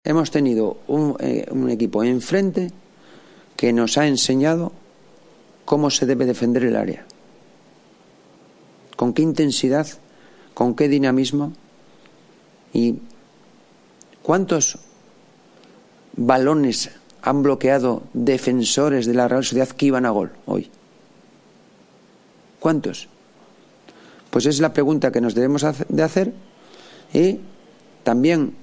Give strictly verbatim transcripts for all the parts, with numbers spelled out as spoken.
hemos tenido un, eh, un equipo enfrente que nos ha enseñado cómo se debe defender el área, con qué intensidad, con qué dinamismo y cuántos balones han bloqueado defensores de la Real Sociedad que iban a gol hoy. ¿Cuántos? Pues es la pregunta que nos debemos de hacer y también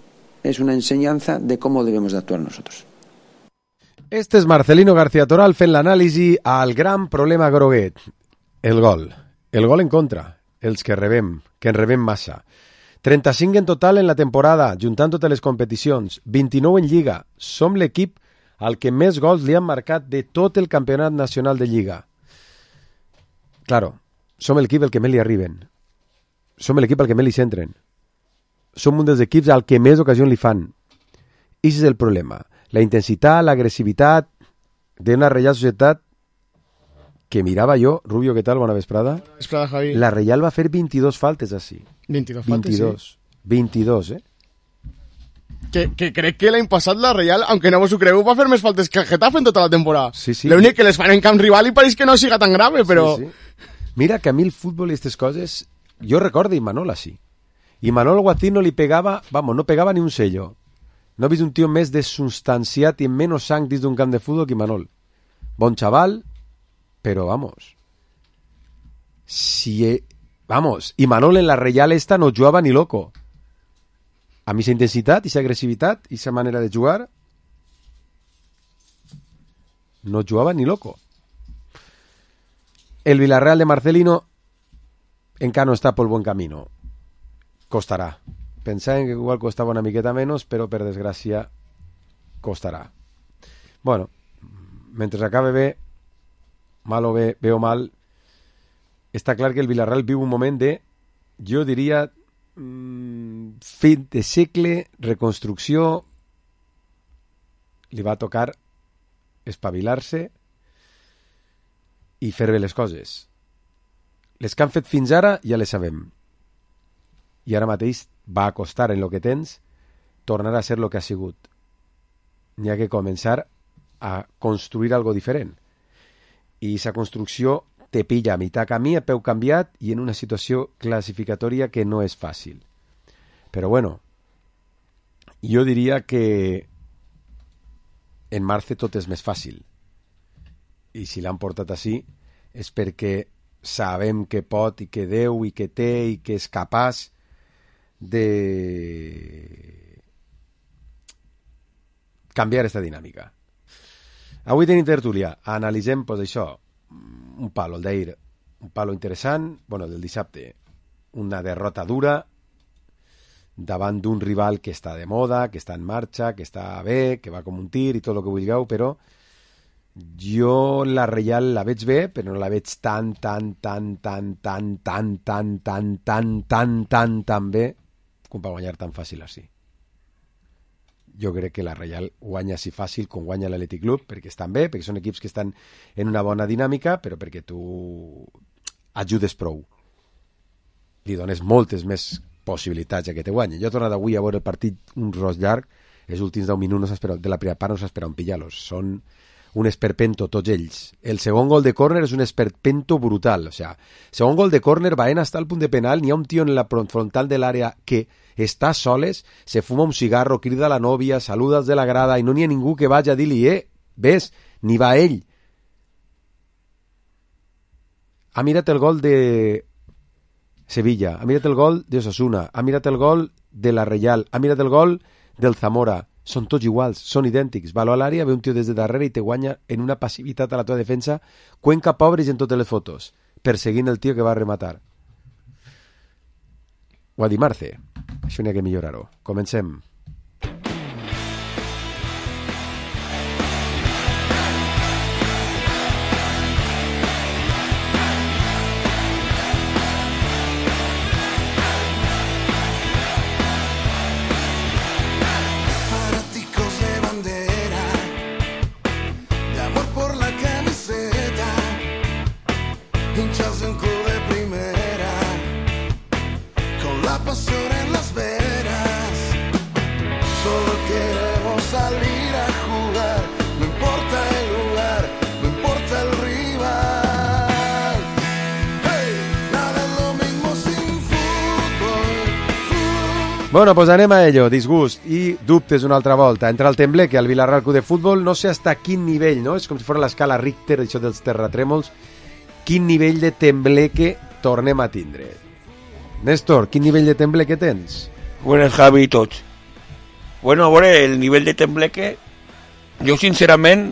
es una enseñanza de cómo debemos de actuar nosotros. Este és Marcelino García Toral fent l'anàlisi al gran problema groguet, el gol. El gol en contra, els que rebem, que en rebem massa. trenta-cinc en total en la temporada, juntant totes les competicions, vint-i-nou en Lliga. Som l'equip al que més gols li han marcat de tot el campionat nacional de Lliga. Claro, som l'equip al que més li arriben. Som l'equip al que més li centren. Som un dels equips al que més ocasions li fan. I aquest és el problema. La intensitat, l'agressivitat d'una Reial Societat que mirava jo, Rubio, què tal? Bona vesprada. Vesprada, Javi. La Reial va fer veintidós faltes així. veintidós faltes, veintidós. sí. veintidós, eh? Que, que crec que l'any passat la Reial, aunque no vos ho creu, va fer més faltes que el Getafe en tota la temporada. Sí, sí. L'únic que les fan en camp rival i pareix que no siga tan grave, però... Sí, sí. Mira que a mi el futbol i aquestes coses, jo recordo Imanol així. Imanol Guacín no li pegava, vamos, no pegava ni un sello. No he vist un tio més desustanciat i amb menys sang dins d'un camp de futbol que Imanol. Bon xaval, però vamos. Si, he, vamos, Imanol en la Reial esta no jugava ni loco. A mi esa intensitat, esa agressivitat, esa manera de jugar, no jugava ni loco. El Villarreal de Marcelino encara no està pel bon camino. Costarà. Pensaven que igual costava una miqueta menys, però per desgràcia costarà. Bueno, mentre acabe bé, mal o bé, bé o mal, està clar que el Villarreal viu un moment de, jo diria, mmm, fin de segle, reconstrucció, li va tocar espavilar-se i fer bé les coses. Les que han fet fins ara ja les sabem. I ara mateix va a costar en lo que tens tornar a ser lo que ha sigut. N'hi ha que començar a construir algo diferent. I aquesta construcció te pilla a mitjà camí, a peu canviat i en una situació classificatòria que no és fàcil. Però bueno, jo diria que en març tot és més fàcil. I si l'han portat així és perquè sabem que pot i que deu i que té i que és capaç de canviar aquesta dinàmica. Avui tenim tertúlia. Analitzem, pues, això, un palo, el d'ahir, un palo interessant, bueno, del dissabte, una derrota dura davant d'un rival que està de moda, que està en marxa, que està bé, que va com un tir i tot el que vulgueu, però jo la Reial la veig bé, però no la veig tan, tan, tan, tan, tan, tan, tan, tan, tan, tan, tan, tan bé com per guanyar tan fàcil així. Jo crec que la Reial guanya així fàcil com guanya l'Atlètic Club, perquè estan bé, perquè són equips que estan en una bona dinàmica, però perquè tu ajudes prou. Li dones moltes més possibilitats a que te guanyi. Jo he tornat avui a veure el partit un ros llarg, els últims deu minuts no de la primera part no s'espera un pillar-los. Són un esperpento tots ells. El segon gol de córner és un esperpento brutal. O sea, segon gol de córner, Baena està al punt de penal, n'hi ha un tio en la frontal de l'àrea que està soles, se fuma un cigarro, crida a la nòvia, saluda els de la grada i no n'hi ha ningú que vagi a dir-li, eh, ves, ni va ell. Ha mirat el gol de Sevilla, ha mirat el gol de Osasuna, ha mirat el gol de la Reial, ha mirat el gol del Zamora. Són tots iguals, són idèntics. Va a l'àrea, ve un tio des de darrere i te guanya en una passivitat a la teva defensa. Cuenca pobres en totes les fotos, perseguint el tio que va a rematar. Ho ha dit Marce. Això n'hi ha que millorar-ho. Comencem. Bueno, pues anem a ello, disgust i dubtes una altra volta. Entre el Tembleque al Villarreal Club de Futbol, no sé hasta quin nivell, no? És com si fos l'escala Richter, això dels terratrèmols. Quin nivell de Tembleque tornem a tindre? Néstor, quin nivell de Tembleque tens? Buenas, Javi i tots. Bueno, a veure, el nivell de Tembleque, jo sincerament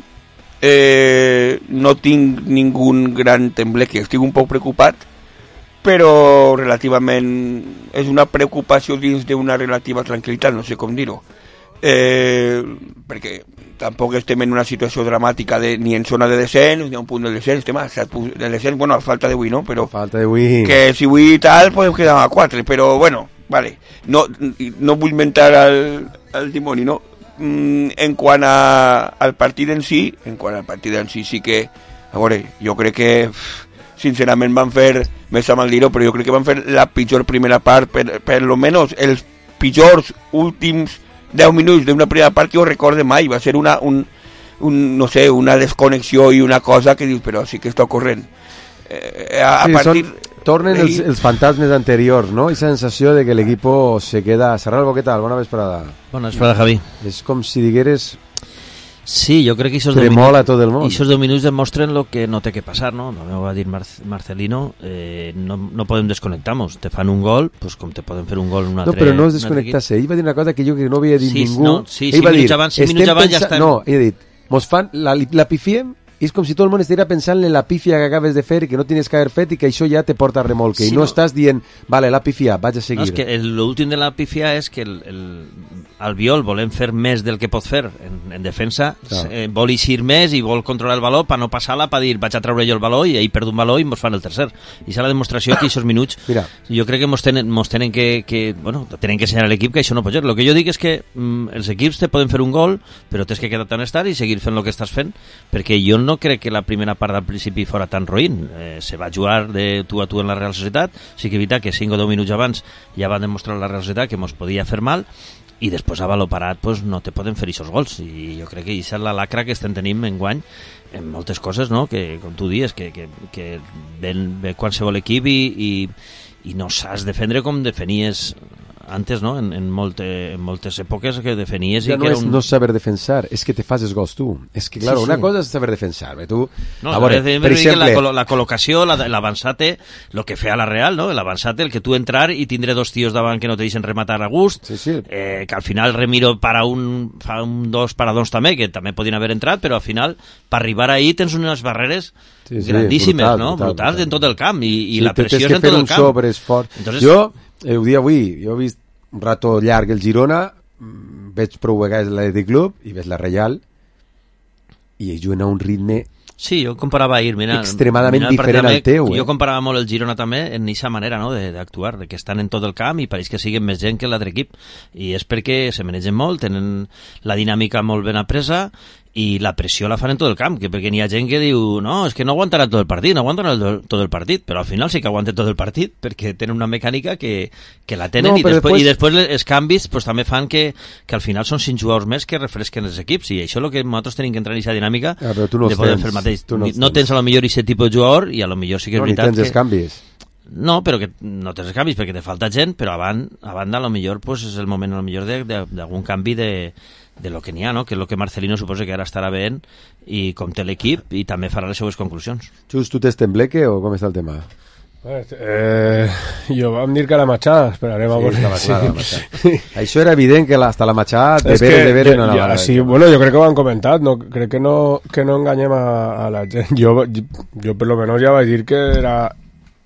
eh, no tinc ningun gran Tembleque, estic un poc preocupat, però relativament és una preocupació dins d'una relativa tranquil·litat, no sé com dir-ho, eh, perquè tampoc estem en una situació dramàtica de, ni en zona de descens, ni a un punt de descens, estem a set punts de descens, bueno, a falta d'avui, no? Però falta d'avui. Que si avui tal, podem quedar a quatre, però bueno, vale, no, no vull mentar al, al dimoni, no? Mm, en quant a, al partit en si, en quant al partit en si, sí que, a veure, jo crec que sincerament van fer, més a mal dir-ho, però jo crec que van fer la pitjor primera part, per, per lo menos els pitjors últims deu minuts d'una primera part que jo recorde mai, va ser una, un, un, no sé, una desconnexió i una cosa que dius, però sí que està ocorrent. Eh, a, a sí, partir... Són, tornen els, els fantasmes anteriors, no? I sensació de que l'equip se queda... Serral, ¿qué tal? Bona vesprada. Bona vesprada, Javi. És com si digueres... Sí, jo crec que esos tremola tot el món. I aquests deu minuts demostren lo que no té que passar, no? No va dir Mar Marcelino, eh, no, no podem desconnectar-nos. Te fan un gol, pues com te poden fer un gol en un altre... No, però no és desconnectar-se. Ell va dir una cosa que jo que no havia dit sí, ningú. No, sí, ell cinc va dir, minuts abans, cinc minuts abans ja estem... No, ell ha dit, mos fan, la, la pifiem, i és com si tot el món estigués pensant en la pífia que acabes de fer i que no tenies que haver fet i que això ja te porta a remolque. Sí, I no, no estàs dient, vale, la pifia, vaig a seguir. No, és que l'últim de la pifia és que el, el, Albiol volem fer més del que pot fer en, en defensa, no. eh, vol eixir més i vol controlar el valor per no passar-la, per dir vaig a treure jo el valor i ell perd un valor i mos fan el tercer. I és la demostració que aquests minuts Mira. jo crec que mos tenen, mos tenen que, que bueno, tenen que ensenyar a l'equip que això no pot ser. El que jo dic és que mm, els equips te poden fer un gol, però tens que quedar-te on estar i seguir fent el que estàs fent, perquè jo no crec que la primera part del principi fora tan roïn. Eh, se va jugar de tu a tu en la Real Societat, sí que evitar que cinc o deu minuts abans ja van demostrar la Real Societat que mos podia fer mal, i després a valor parat pues, no te poden fer aquests gols, i jo crec que aquesta és la lacra que estem tenint enguany en moltes coses, no? Que com tu dius que, que, que ven, ven qualsevol equip i, i, i no saps defendre com defenies antes, no? En, en, molte, en moltes èpoques que defenies ja i no que era és un... no saber defensar, és que te fas els gols tu. És que, claro, sí, sí. una cosa és saber defensar, eh? tu... No, a veure, per exemple... La, col la col·locació, l'avançate, el que feia la Real, no? L'avançate, el que tu entrar i tindre dos tios davant que no te deixen rematar a gust, sí, sí. Eh, que al final Remiro para un, fa un dos paradons també, que també podien haver entrat, però al final, per arribar ahí tens unes barreres sí, sí, grandíssimes, brutal, no? Brutal, brutals brutal. En tot el camp, i, i sí, la pressió és en tot el camp. Entonces... Jo, eh, ho dia avui, jo he vist un rato llarg el Girona, veig prou vegades l'Atlètic Club i veig la Reial i ells juguen a un ritme sí, jo comparava ahir, mira, extremadament mira, diferent al teu. Jo eh? comparava molt el Girona també en aquesta manera no? d'actuar, de, de que estan en tot el camp i pareix que siguen més gent que l'altre equip, i és perquè se manegen molt, tenen la dinàmica molt ben apresa i la pressió la fan en tot el camp, que perquè n'hi ha gent que diu no, és que no aguantarà tot el partit, no aguantarà el, tot el partit, però al final sí que aguanten tot el partit perquè tenen una mecànica que, que la tenen no, i, després, després... i després els canvis pues, també fan que, que al final són cinc jugadors més que refresquen els equips, i això és el que nosaltres tenim que entrar en aquesta dinàmica ah, no de poder tens, fer el mateix. No, no tens a lo millor aquest tipus de jugador i a lo millor sí que és no, veritat ni tens que... els canvis. No, però que no tens canvis perquè te falta gent, però a banda, a banda a lo millor pues, és el moment a lo millor d'algun canvi de, de lo que n'hi ha, no? Que és el que Marcelino suposa que ara estarà veient i com té l'equip i també farà les seues conclusions. Just, tu tens Tembleque o com està el tema? Eh, jo vam dir que la Matxà, esperarem sí, a veure. Clar, sí. la sí. Això era evident que la, hasta la Matxà de veres de veres no anava. Ja, sí, bueno, jo crec que ho han comentat, no, crec que no, que no enganyem a, a la gent. Jo, jo per lo menos ja vaig dir que era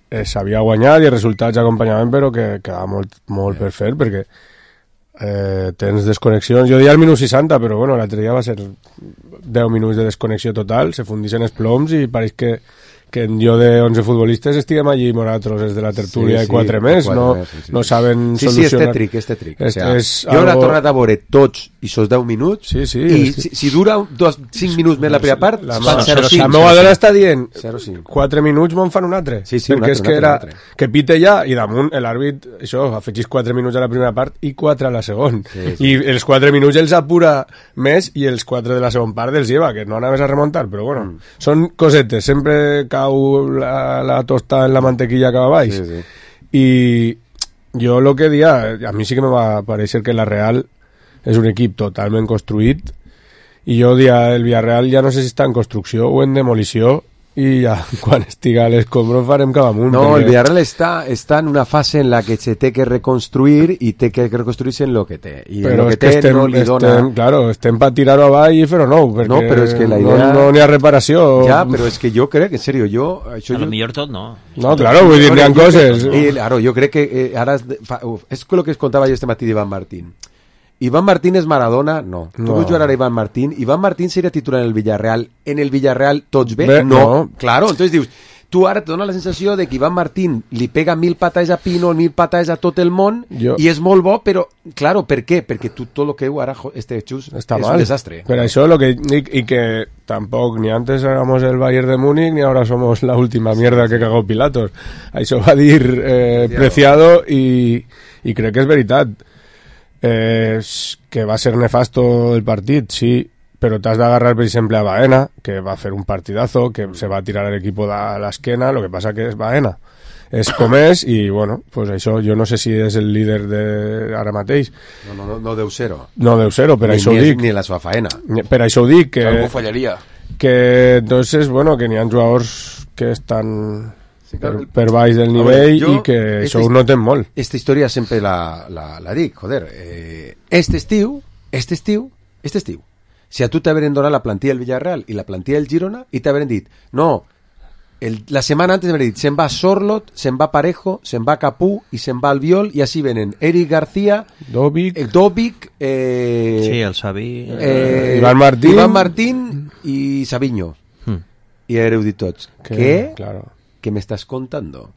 eh, s'havia guanyat i els resultats acompanyaven, però que quedava molt, molt per fer, perquè eh, tens desconnexions. Jo deia al minut seixanta, però bueno, l'altre dia va ser deu minuts de desconnexió total, se fundixen els ploms i pareix que que jo de onze futbolistes estiguem allí nosaltres des de la tertúlia sí, sí, i quatre més, quatre no, més sí, sí. no saben sí, solucionar. Sí, és tètric, és tètric. És, o sea, és jo algo... he tornat a veure tots i sos deu minuts sí, sí, i sí. Si, si dura dos, cinc minuts més la primera part, la, fan zero cinc. La meva dona està dient quatre minuts me'n fan un altre. Sí, sí, perquè un altre, és que era que pite ja i damunt l'àrbit, això, afegís quatre minuts a la primera part i quatre a la segona. Sí, sí. I els quatre minuts els apura més i els quatre de la segona part els lleva, que no anaves a remuntar, però bueno, mm. són cosetes, sempre cau la, la tosta en la mantequilla que va baix sí, sí. I, jo lo que dia, a mi sí que me va parecer que la Real és un equip totalment construït i jo dia el Villarreal ja no sé si està en construcció o en demolició i ja quan estiga a l'escombro farem cap amunt. No, perquè... el Villarreal està, està en una fase en la que se té que reconstruir i té que reconstruir-se en lo que té. I però lo que és que té estem, no li dona... estem, claro, estem per tirar-ho avall i fer-ho nou, perquè no, però és que la idea... no, no n'hi ha reparació. Ja, però és que jo crec, en serio, jo... Això A lo jo... millor tot no. No, claro, vull dir, n'hi ha coses. I, claro, jo crec que eh, ara... Fa, uf, és el que es contava jo este matí d'Iván Martín. Iván Martín és Maradona? No. Tu No. vols jugar ara Iván Martín? Iván Martín seria titular en el Villarreal. En el Villarreal tots bé? Bé, no. no. Claro, entonces dius, tu ara te dona la sensació de que Iván Martín li pega mil patades a Pino, mil patades a tot el món, Jo- i és molt bo, però, claro, per què? Perquè tu tot lo que heu ara, jo, este xus, Està és mal. un desastre. Pero eso lo que y, y que tampoco ni antes éramos el Bayern de Múnich ni ahora somos la última mierda que cagó Pilatos. Això va dir eh, Preciado y y creo que es veritat. Eh, que va ser nefasto el partit, sí, però t'has d'agarrar, per exemple, a Baena, que va fer un partidazo, que se va tirar l'equip de l'esquena, lo que passa que és Baena. És com és, i bueno, pues això, jo no sé si és el líder de ara mateix. No, no, no, no deu ser-ho. No deu ser-ho, per Ni, això ho ni, és- dic. ni la seva faena. Per això ho dic, que, Algo fallaria. que entonces, bueno, que n'hi ha jugadors que estan Sí, per, claro. per baix del A nivell veure, jo- i que esta això ho his- noten molt. Esta història sempre la, la, la dic, joder. Eh, este estiu, este estiu, este estiu, si a tu t'haveren donat la plantilla del Villarreal i la plantilla del Girona i t'haveren dit, no, el, la setmana antes m'haveren dit, se'n va Sorlot, se'n va Parejo, se'n va Capú i se'n va Albiol i així venen Eric García, Dovic, eh, Dovic, eh, Sí, el Xavi... eh, Iván Martín. Iván Martín i Sabiño. Hmm. I haureu dit tots, que, què? claro. ¿Qué me estás contando?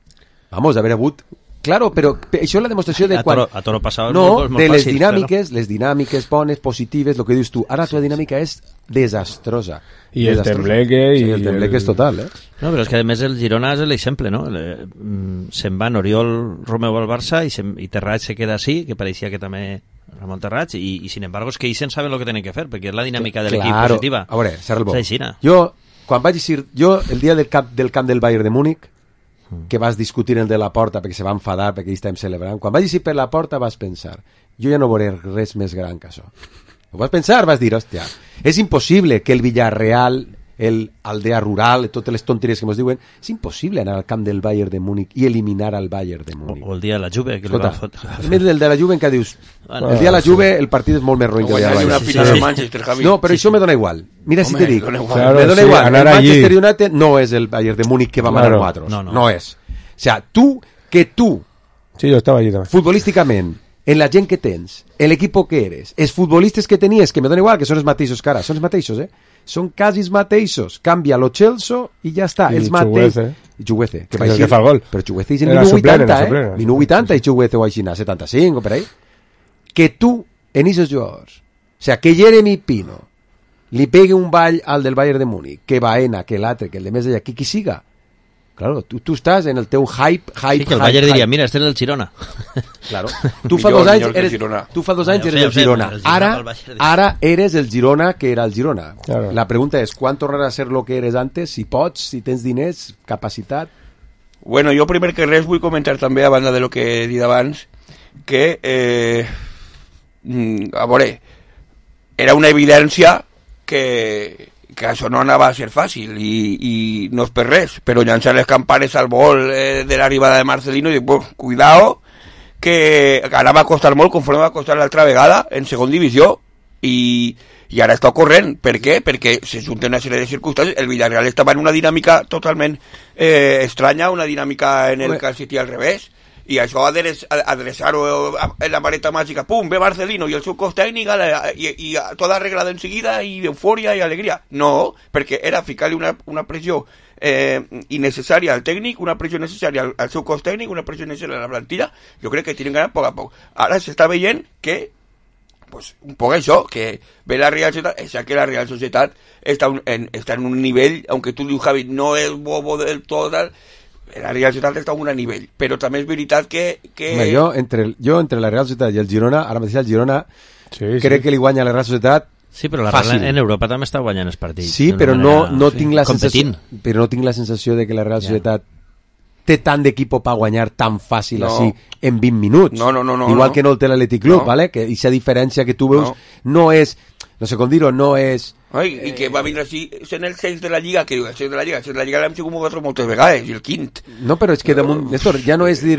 Vamos, haver hagut... Claro, però pe- això és la demostració de A quan... toro, a toro passat és No, molt, és molt de les fàcil, dinàmiques, les dinàmiques bones, positives, el que dius tu. Ara la teva dinàmica és desastrosa. I el Desastrosa. tembleque Sí, i el tembleque el- és total, eh? No, però és que a més el Girona és l'exemple, no? Le- mm, Se'n van Oriol Romeu al Barça i, se'n- i Terrats se queda així, que pareixia que també Ramon Terrats, i, i sin embargo és que ells saben el que tenen que fer, perquè és la dinàmica de l'equip Claro. positiva. A veure, Serra el Bo. És així, no? Jo, quan vaig dir... Jo, el dia del camp del, camp del Bayern de Múnich, que vas discutir el de la porta perquè se va enfadar perquè ells estàvem celebrant, quan vaig dir per la porta vas pensar, jo ja no veuré res més gran que això. Ho vas pensar, vas dir, hòstia, és impossible que el Villarreal, el Aldea Rural, totes les tonteries que ens diuen, és impossible anar al camp del Bayern de Múnich i eliminar al Bayern de O, Múnich. o el dia de la Juve, que li Escolta, va fotre... a més del de la Juve encara dius, Bueno, el dia de la Juve el partit és molt més roïn que el dia de la Guanyar una Juve. final sí. de Manchester, Javi. No, però això me dona igual. Mira si Home, te dic, dona igual. Claro, me dona sí, igual. El anar allí. Manchester United no és el Bayern de Múnich que va manar Claro. cuatro. No, no. No és. O sea, tú, que tú, Sí, jo estava allí també. futbolísticament, en la gent que tens, en l'equip que eres, els futbolistes que tenies, que me dona igual, que són els mateixos, cara, són els mateixos, eh? Són quasi els mateixos. Canvia lo Chelsea i ja està. I els mateixos. Chuguece. I Chuguece, que És va el així. que fa el gol. Però Chuguece és en Era minut suplent, vuitanta, era eh? suplent. Minut vuitanta i Chuguece o així, setanta-cinc o per ahí. Que tu, en esos jugadors, o sea, que Jeremy Pino li pegue un ball al del Bayern de Múnich, que Baena, que l'altre, que el de més d'allà, que qui siga. Claro, tu, tu estàs en el teu hype, hype, Sí, que el hype, Bayern diria, hype. mira, este és el Girona. Claro. Tu fa Millor- dos anys millor que el eres, Girona. tu fa dos anys Ja ho eres sé, el ja ho sé, Girona. el Girona Ara, pel Bayern. ara eres el Girona que era el Girona. Claro. La pregunta és, quan tornarà a ser lo que eres antes? Si pots, si tens diners, capacitat... Bueno, jo primer que res vull comentar també, a banda de lo que he dit abans, que, eh, mm, a veure, era una evidència que, que això no anava a ser fàcil i, i no és per res, però llançar les campanes al vol eh, de l'arribada de Marcelino i dir, pues, cuidao, que ara va costar molt conforme va costar l'altra vegada en segon divisió i, i ara està corrent. Per què? Perquè se junten una sèrie de circumstàncies. El Villarreal estava en una dinàmica totalment eh, estranya, una dinàmica en el Home. Cal City al revés, i això adreç- adreçar-ho en la vareta màgica, pum, ve Marcelino i el seu cos tècnic a la- i, i a- tot arreglado enseguida i eufòria i alegria. No, perquè era ficar-li una, una pressió eh, innecessària al tècnic, una pressió necessària al, al seu cos tècnic, una pressió necessària a la plantilla. Jo crec que tienen ganas poc a poc. Ara s'està veient que pues un poc això, que ve la Real Societat, és que la Real Societat està, un, en, està en un nivell, aunque tu dius, Javi, no és bobo del tot, tal, la Real Societat està en un nivell, però també és veritat que... que... Home, jo, entre, el- jo, entre la Real Societat i el Girona, ara mateix el Girona, Sí, sí. crec que li guanya la Real Societat. Sí, però la Fàcil. Real en Europa també està guanyant els partits. Sí, d'una però no, manera, no sí, tinc la competint. sensació, però no tinc la sensació de que la Real Ja. Societat té tant d'equip per guanyar tan fàcil No. així en vint minuts. No, no, no, no, Igual no. que no el té l'Atlètic Club, No. ¿vale? Que aquesta diferència que tu veus No. no és, no sé com dir-ho, no és... Ai, i que va vindre així, sent el seis de la Lliga, que diu, el seis de la Lliga, el seis de la Lliga l'hem sigut nosaltres moltes vegades, i el quint. No, però és que damunt, Néstor, ja no és dir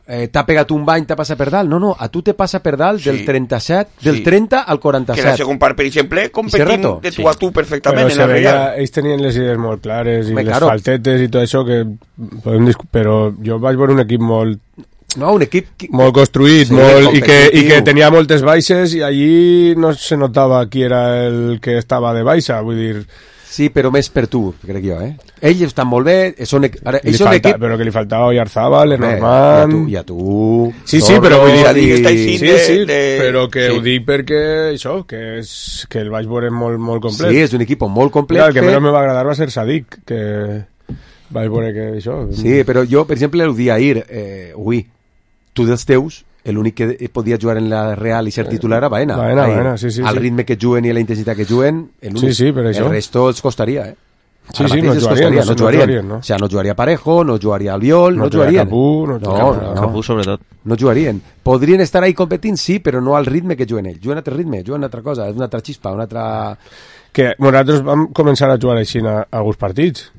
eh, t'ha pegat un bany, t'ha passat per dalt. No, no, a tu te passa per dalt Sí. del trenta-set, del Sí. trenta al Que la quaranta-set. segon part, per exemple, competim rato. de tu Sí. a tu perfectament Però en se la veia, Real. ells tenien les idees molt clares i Home, les claro. faltetes i tot això que podem discu- però jo vaig veure un equip molt No, un equip... Que... molt construït, Sí, molt, i, que, i competitiu. que tenia moltes baixes i allí no se notava qui era el que estava de baixa, vull dir, Sí, però més per tu, crec jo, eh? Ells estan molt bé, són, equ- ara, li ells són falta, equip... però que li faltava Oyarzabal, Home, Lenormand... I a tu, i a tu... Sí, sí, Torres, però vull dir... ja dic, està sí, així sí, de- sí, de- però que sí. ho dic perquè això, que, és, que el vaig veure molt, molt complet. Sí, és un equip molt complet. Clar, el que fet. menys me va agradar va ser Sadik, que vaig veure que això... Sí, però jo, per exemple, el dia ahir, eh, ui, tu dels teus, l'únic que podia jugar en la Real i ser titular era Baena. Baena, Ahir. Baena, sí, sí, Al sí. ritme que juguen i a la intensitat que juguen, l'únic. Sí, sí, per això. El resto els costaria, eh? Sí, Ara sí, mateix no els jugarien, costaria, no, no jugarien. no jugarien, no. O sigui, no jugaria Parejo, no jugaria Albiol, no, No jugaria jugarien. Capú, no no, jugaria- no, Capú, sobretot. no jugarien. Podrien estar ahí competint, sí, però no al ritme que juguen ells. Juguen a altre ritme, juguen a altra cosa, és una altra xispa, una altra... Que nosaltres vam començar a jugar així a alguns partits.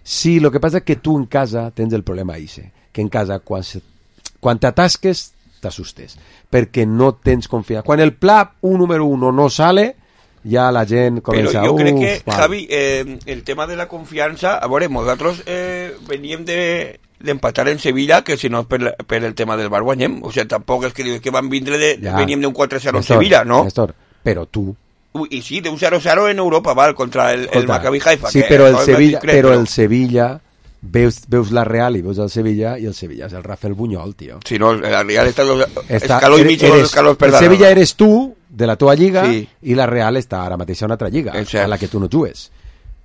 Sí, el que passa és que tu en casa tens el problema Ise, que en casa quan, se, quan t'atasques t'assustes, perquè no tens confiança. Quan el pla un número uno no sale, ja la gent Però comença... jo crec "Uf, que, val". Javi, eh, el tema de la confiança, a veure, nosaltres eh, veníem de d'empatar en Sevilla, que si no és per, la- per el tema del bar guanyem, o sigui, tampoc és que dius que van vindre de, Ja. veníem d'un quatre zero en Néstor, Sevilla, no? Néstor, però tu... Ui, I sí, d'un zero zero en Europa, val, contra el, el Escolta, Maccabi Haifa. sí, que però el no és Sevilla, discret, però no? el Sevilla veus, veus la Real i veus el Sevilla, i el Sevilla és el Rafael Buñol, tio. Si no, la Real està dos, Està- escaló i eres- mig o dos eres- escalons per el dalt. Sevilla eres tu, de la teva lliga, Sí. i la Real està ara mateix a una altra lliga, És cert. a la que tu no jugues.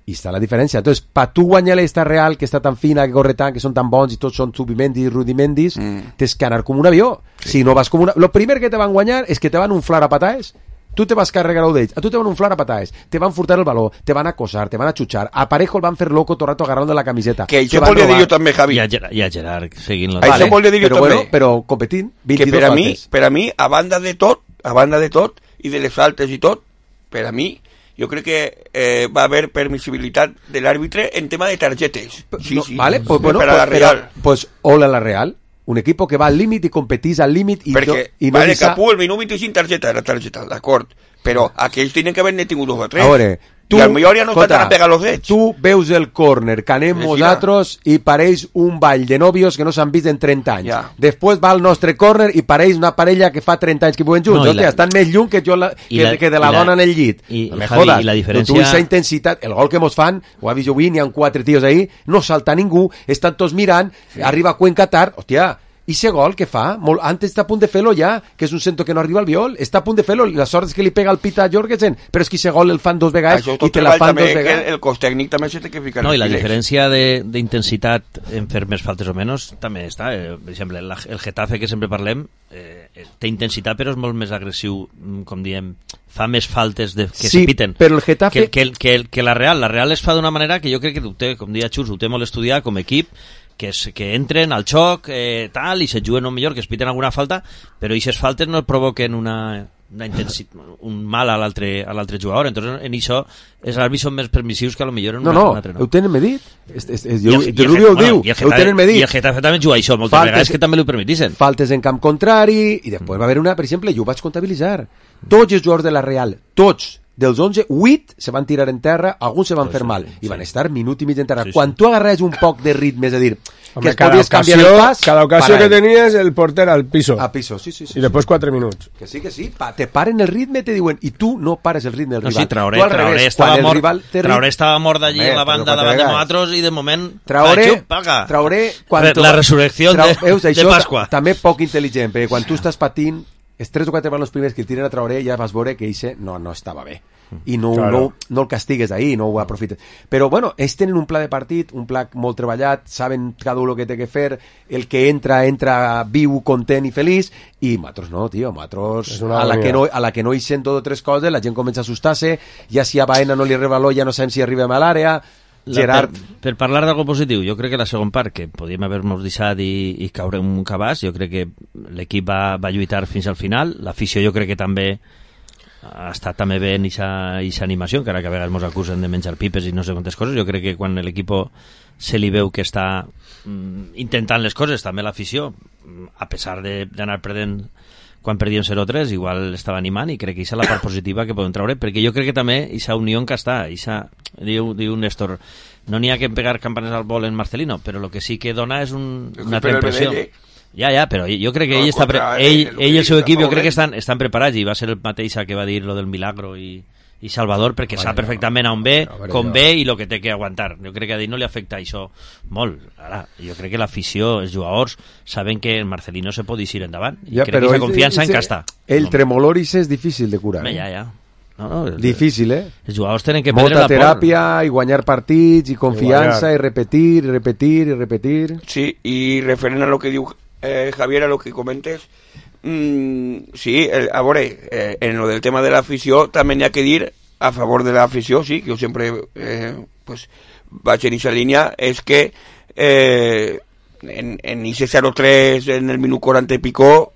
I està la diferència. Entonces, pa tu guanyar esta Real, que està tan fina, que corre tant, que són tan bons, i tots són Zubimendis i Rudimendis, Mm. tens que anar com un avió. Si no vas com una... Lo primer que te van guanyar és que te van unflar a pataes. Tu te vas carregar d'ells, a tu te van unflar a pataes, te van furtar el baló, te van acosar, te van a xutxar, a Parejo el van fer loco tot el rato agarrant de la camiseta. Que te això van volia dir robar. jo també, Javi. I a, Ger- i a Gerard, seguint-lo. Això volia dir jo però, també. bueno, però competint, Que vint-i-dos per a mi, faltes. per a mi, a banda de tot, a banda de tot, i de les faltes i tot, per a mi, jo crec que eh, va haver permissibilitat de l'àrbitre en tema de targetes. Sí, No, sí. vale, pues, bueno, per a la pues, Real. pero, pues hola la Real, un equipo que va al límit i competís al límit i, Perquè, no, i no vale, deixa... Capú, el minut vint-i-cinc targeta, era targeta, d'acord. Però aquells tenen que haver-ne tingut dos o tres. A veure, tu, I al millor ja no escolta, estan a pegar los ets. tu veus el córner que anem Mira. nosaltres i pareix un ball de nòvios que no s'han vist en trenta anys. Ja. Després va el nostre córner i pareix una parella que fa trenta anys que viuen junts. No, No, i la- Hòstia, estan més lluny que, jo la, i que, la- que de la i la- dona en el llit. i- no me Javi, jodas. i la diferència- No, tu aquesta intensitat, el gol que mos fan, ho ha vist jo avui, n'hi ha quatre tios ahí, no salta ningú, estan tots mirant, arriba Cuenca tard, hòstia, i ese gol que fa, molt, antes està a punt de fer-lo ja, que és un centro que no arriba al viol, està a punt de fer-lo, la sort és que li pega el pit a Jorgensen, però és que ese gol el fan dos vegades Això i tot te la fan dos també, que vegades. el, el cos tècnic també s'ha de ficar. No, i la els filets. diferència de- d'intensitat en fer més faltes o menys també està. Eh, per exemple, la, el Getafe, que sempre parlem, eh, té intensitat, però és molt més agressiu, mm, com diem, fa més faltes de, que Sí, se piten. però el Getafe- Que, que, que, que la Real, la Real es fa d'una manera que jo crec que ho té, com deia Xus, ho té molt estudiat com a equip, que, és, que entren al xoc, eh, tal, i se juguen un millor, que es piten alguna falta, però aquestes faltes no provoquen una, una intensitat, un mal a l'altre a l'altre jugador. Entonces, en això, els àrbits són més permissius que a lo millor en No, una, no, un altre no. ho tenen medit. És, és, és, I jo, el- i de el Rubio ho Getafe- diu, bueno, i el ho Getafe- tenen medit. I el Getafe també juga això, moltes Faltes- vegades que també l'ho permetissen. Faltes en camp contrari, i després va haver una, per exemple, jo ho vaig comptabilitzar. Tots els jugadors de la Real, tots, dels onze, vuit se van tirar en terra, alguns se van fer mal, i van estar minut i mig en terra. Sí, sí. Quan tu agarres un poc de ritme, és a dir, Home, que es cada podies canviar ocasió, el pas... cada ocasió para que ell. tenies, el porter al piso. A piso, sí, sí, sí. I després quatre minuts. Que sí, que sí, pa, te paren el ritme, te diuen, i tu no pares el ritme del No, rival. sí, Traoré, Tu al Traoré, revés, estava quan el mort, rival té rit- Traoré estava mort d'allí Home, en la però banda quatre davant de vegades. nosaltres i de moment... Traoré, Pacho, paga. Traoré quan Re- tu- la resurrecció de- veus, de això Pasqua. ta- també poc intel·ligent, perquè quan tu estàs patint, els tres o quatre balons primers que el tiren a Traoré ja vas veure que eixe no, no estava bé. I no, Claro. no, no el castigues ahí, no ho aprofites. Però bueno, ells tenen un pla de partit, un pla molt treballat, saben cada un el que té que fer, el que entra, entra viu, content i feliç, i nosaltres no, tio, nosaltres És una a la, agonia. que no, a la que no hi sent dos o tres coses, la gent comença a assustar-se, ja si a Baena no li arriba l'olla, no sabem si arribem a l'àrea, La, Gerard... Per, per parlar d'algo positiu, jo crec que la segon part, que podíem haver-nos deixat i, i caure un cabàs, jo crec que l'equip va, va lluitar fins al final, l'afició jo crec que també ha estat també bé en aquesta animació, encara que a vegades ens acusen de menjar pipes i no sé quantes coses. Jo crec que quan l'equip se li veu que està mm, intentant les coses, també l'afició, a pesar d'anar perdent quan perdíem zero tres, igual estava animant, i crec que aquesta és la part positiva que podem treure, perquè jo crec que també aquesta unió que està, eixa, diu, diu Néstor, no n'hi ha que pegar campanes al vol en Marcelino, però el que sí que dona és un, una altra impressió. Ja, ja, però jo crec que no, ell, està pre ell, ell, ell i el seu equip jo crec que estan, estan preparats, i va ser el mateix que va dir lo del Milagro i, i Salvador, perquè vale, sap perfectament on ve, no, com jo. ve i el que té que aguantar. Jo crec que a ell no li afecta això molt. Ara, jo crec que l'afició, els jugadors, saben que el Marcelino se pot eixir endavant, i ja, crec que aquesta confiança en que està. El tremoloris és difícil de curar. Eh? Ja, ja. No, no, el, difícil, eh? Els jugadors tenen que prendre molta la teràpia por. I guanyar partits i confiança i, i repetir, i repetir, i repetir. Sí, i referent a lo que diu eh, Javier, a lo que comentes, mm, sí, el, a veure, eh, en lo del tema de l'afició també n'hi ha que dir a favor de l'afició, sí, que jo sempre eh, pues, vaig en aquesta línia, és que eh, en, en ese zero tres en el minut quaranta i pico,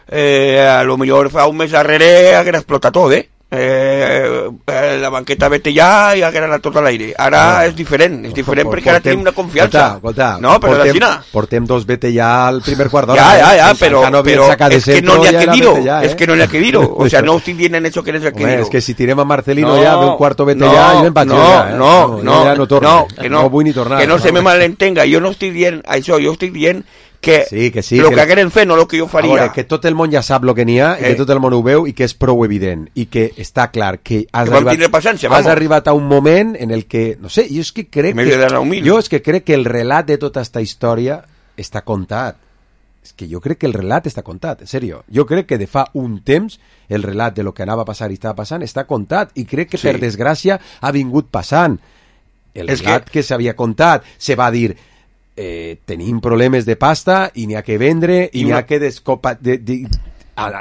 eh, a lo millor fa un mes darrere haguera explotat tot, eh? Eh, eh, la banqueta vete ja i haguera anat tot a l'aire. Ara no, és diferent, és diferent perquè ara tenim una confiança. Escolta, escolta, no, però portem, portem dos vete ja al primer quart d'hora. Ja, ja, ja, eh? però, no però és que no n'hi ha que dir-ho, ja, eh? és que no n'hi ha que dir-ho. O sea, no estic dient en això que n'hi ha que dir-ho. És que si tirem a Marcelino no, ja d'un quarto vete no, ja, jo em vaig no, ja, eh? No, no, no, ja no, torno, no, que no, no vull ni tornar. Que no, no se me malentenga, jo no estic dient això, jo estic dient que sí, que sí, el que que hagueren fet no el que jo faria. A veure, que tot el món ja sap el que n'hi ha, eh. i que tot el món ho veu, i que és prou evident, i que està clar que has, que arribat, has arribat a un moment en el que, no sé, jo és que crec que, jo és que crec que el relat de tota aquesta història està contat. És que jo crec que el relat està contat, en sèrio. Jo crec que de fa un temps el relat de lo que anava a passar i estava passant està contat, i crec que sí. Per desgràcia ha vingut passant. El és relat que, que s'havia contat, se va dir... Eh, tenim problemes de pasta i n'hi ha que vendre i n'hi ha que descopa... De, de,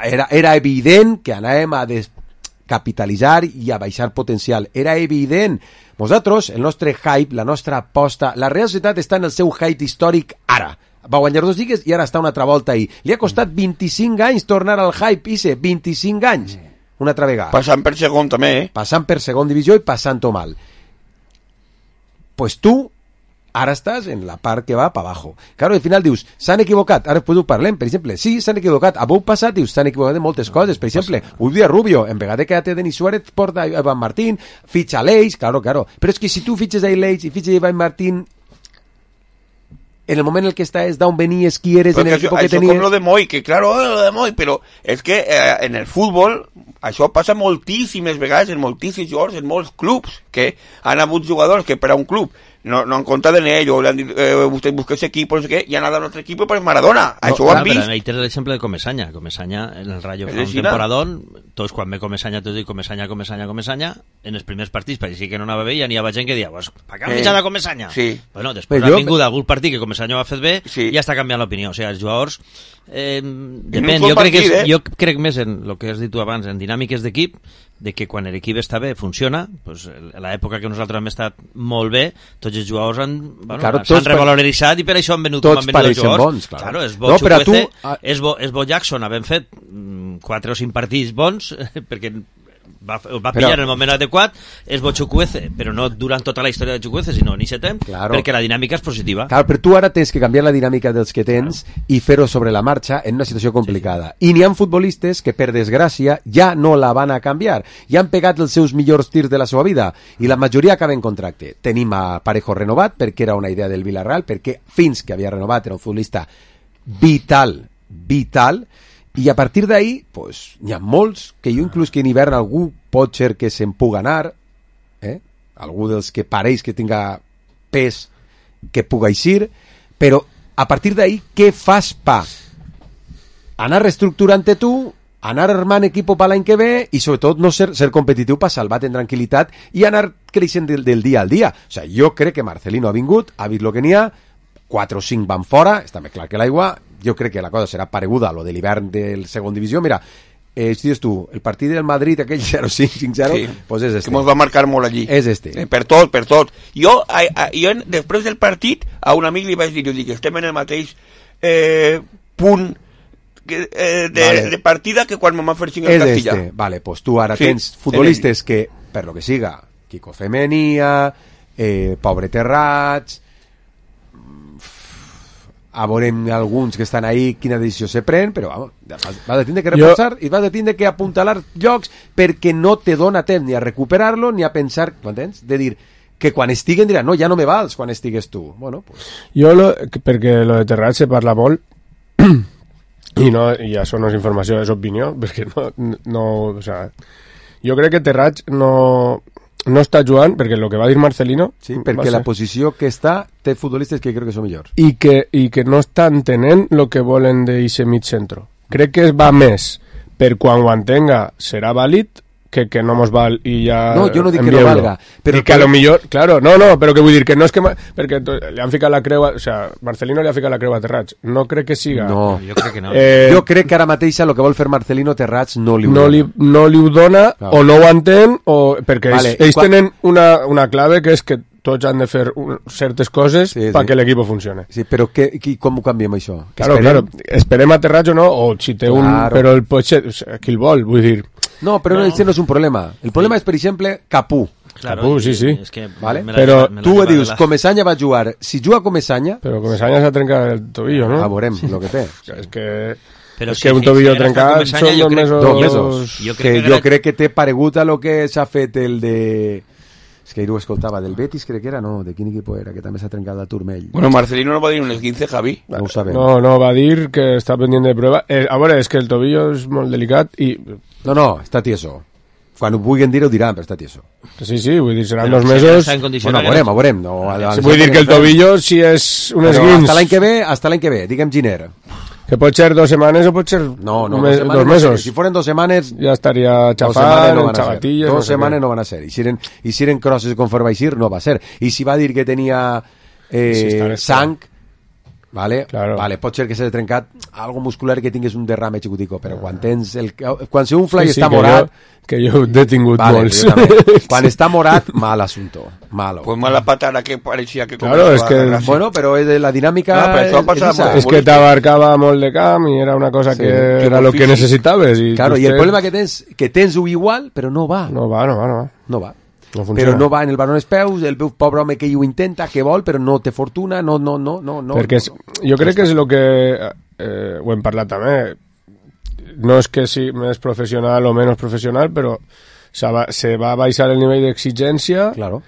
era, era evident que anàvem a descapitalitzar i a baixar potencial. Era evident. Nosaltres, el nostre hype, la nostra aposta... La Real Societat està en el seu hype històric ara. Va guanyar dos lligues i ara està una altra volta ahí. Li ha costat vint-i-cinc anys tornar al hype, Ise. vint-i-cinc anys. Una altra vegada. Passant per segon també, eh? Passant per segon divisió i passant-ho mal. Pues tu... ara estàs en la part que va per abajo. Claro, al final dius, s'han equivocat, ara després ho parlem, per exemple, sí, s'han equivocat, a passat dius, s'han equivocat en moltes coses, per exemple, ho dia Rubio, en vegada que té Denis Suárez, porta a Ivan Martín, fitxa a l'Eix, claro, claro, però és que si tu fitxes a l'Eix i fitxes a Ivan Martín, en el moment en el que està és d'on venies, qui eres, en el equip que tenies... Això com lo de Moi, que claro, lo de Moi, però és que eh, en el futbol això passa moltíssimes vegades, en moltíssims jugadors, en molts clubs, que han hagut jugadors que per a un club no, no han comptat en ell, o le han dit, eh, vostè busca ese equipo, no sé què, i han anat a un altre equip per Maradona. No, això ho han vist. Però ahí tens l'exemple de Comesaña. Comesaña, en el Rayo, fa un temporadón, tots quan ve Comesaña, tots diuen Comesaña, Comesaña, Comesaña, en els primers partits pareixia que no anava bé, i n'hi havia gent que dia, pues, per què han fitxat a Comesaña? Sí. Bueno, després ha vingut algun partit que Comesaña ho ha fet bé, sí. I ja està canviant l'opinió. O sigui, els jugadors... Eh, depèn, jo crec, que és, eh? jo crec més en el que has dit tu abans, en dinàmiques d'equip, de que quan l'equip està bé, funciona, pues, a l'època que nosaltres hem estat molt bé, tots els jugadors han, bueno, claro, s'han revaloritzat i per això han venut com han venut els jugadors. Bons, claro. Claro, és bo no, Chukwueze, tu... és, bo, és bo Jackson, havent fet mm, quatre o cinc partits bons, perquè va, va pillar però... en el moment adequat, és bo Chukwueze, però no durant tota la història de Chukwueze, sinó en aquest temps, claro. Perquè la dinàmica és positiva. Claro, però tu ara tens que canviar la dinàmica dels que tens, claro. I fer-ho sobre la marxa en una situació complicada. Sí. I n'hi ha futbolistes que, per desgràcia, ja no la van a canviar. Ja han pegat els seus millors tirs de la seva vida, i la majoria acaben contracte. Tenim a Parejo renovat, perquè era una idea del Villarreal, perquè fins que havia renovat era un futbolista vital, vital, i a partir d'ahí, pues, n'hi ha molts, que jo inclús que en hivern algú pot ser que se'n puga anar, eh? Algú dels que pareix que tinga pes que puga eixir, però a partir d'ahí, què fas pa? Anar reestructurant-te tu, anar armant equip per l'any que ve i sobretot no ser, ser competitiu per salvar-te en tranquil·litat i anar creixent del, del dia al dia. O sigui, jo crec que Marcelino ha vingut, ha vist el que n'hi ha, quatre o cinc van fora, està més clar que l'aigua. Jo crec que la cosa serà pareguda a lo de l'hivern del segon divisió. Mira, eh, si dius tu, el partit del Madrid, aquell zero cinc, cinc zero, Sí. pues és este. Que mos va marcar molt allí. És este. Eh, per tot, per tot. Jo, a, a, jo després del partit, a un amic li vaig dir, jo dic, estem en el mateix eh, punt que, eh, de, Vale. de partida que quan me va fer cinc el És Castilla. este. Vale, pues tu ara Sí, tens futbolistes que, per lo que siga, Kiko Femenia, eh, Pobre Terrats, a veurem alguns que estan ahí quina decisió se pren, però vamos, vas, vas a tindre que reforçar jo... i vas a tindre que apuntalar llocs perquè no te dona temps ni a recuperar-lo ni a pensar, m'entens? De dir que quan estiguen diran, no, ja no me vals quan estigues tu. Bueno, pues... Jo, lo, perquè lo de Terrats se parla molt i, no, i això no és informació, és opinió, perquè no, no o sea, jo crec que Terrats no, no està jugant, perquè el que va dir Marcelino... Sí, perquè la posició que està té futbolistes que crec que són millors. I que, i que no estan entenent el que volen d'eixe mig centro. Crec que es va més per quan ho entenga serà vàlid que, que no mos val i ja... No, jo no dic que no envieu-lo. valga, però I que a lo millor... Claro, no, no, però que vull dir que no és que... ma- Perquè to- li han ficat la creu... A, o sea, Marcelino li ha ficat la creu a Terrats. No crec que siga... No. Jo crec que no. Eh, Jo crec que ara mateix el que vol fer Marcelino Terrats no li ho no dona. li, no li ho dona Clar. o no ho entén o perquè Vale, ells, ells quan- tenen una, una clave que és que tots han de fer un, certes coses Sí, sí. perquè l'equip funcione. Sí, però que, qui, com ho canviem això? Que Claro, esperem? claro, esperem a Terrats o no, o si té un... Claro. Però el potser, o sea, qui el vol, vull dir... No, però no. no, no és un problema. El problema és, per exemple, Capú. Claro, Capú, sí, sí. És que Vale? me la Però lleva- me la Tu lleva dius, de la- Comesaña va jugar. Si juga Comesaña, Però Comesaña s'ha trencat el tobillo, no? a veurem el que té. És que... Però és si que un fi- tobillo si ara està trencat Comesaña, són jo dos crec- mesos... Dos mesos. Jo crec que que jo era- crec que té paregut a lo que s'ha fet el de... És que ahir ho escoltava, del Betis crec que era, no, de quin equip era, que també s'ha trencat la Turmell. Bueno, Marcelino no va dir un esguince, Javi. No ho sabem. No, no, va dir que està pendiente de prueba. Eh, a veure, és que el tobillo és molt delicat i... No, no, està tieso. Quan ho vulguin dir ho diran, però està tieso. Sí, sí, vull dir, seran Però dos si mesos... ara està en condició Bueno, a que veurem, no- a veurem. No, a- a- Sí, vull dir que el tobillo, si és un Però esguins, hasta l'any que ve, hasta l'any que ve, digue'm Giner. que pot ser dos setmanes o pot ser No, no, un dos, mes- setmanes dos no sé. mesos, Si foren dos setmanes, ja estaria dos setmanes xafant, no en van a ser. xabatilles... Dos no sé setmanes què. no van a ser. I si eren, i si eren crosses conforme aixir, no va ser. I si va dir que tenia eh, Sí, està bé, sang, vale? Claro. Vale, pot ser que s'ha trencat algo muscular que tingués un derrame xicutico, però quan tens el... Quan se unfla i Sí, sí, està que morat... Jo, que jo he detingut Vale, molts. jo també. Quan està morat, mal assunto. Malo. Pues mala patada que parecía que... Claro, comenzó es a que- agarrarse. Bueno, però és de la dinàmica... Ah, però això és- passa és esa. molt. És que t'abarcava molt de camp i era una cosa Sí, que que era molt el que físic. necessitaves. I Claro, i el vostè- problema que tens, que tens-ho igual, però no va. No va, no va, no va. No va. No funciona. Però no va en el balón als peus, el pobre home que ho intenta, que vol, però no té fortuna, no, no, no, no, no. Perquè és, jo crec que és el que eh, ho hem parlat també, no és que sigui més professional o menys professional, però se va, se va baixar el nivell d'exigència, Claro.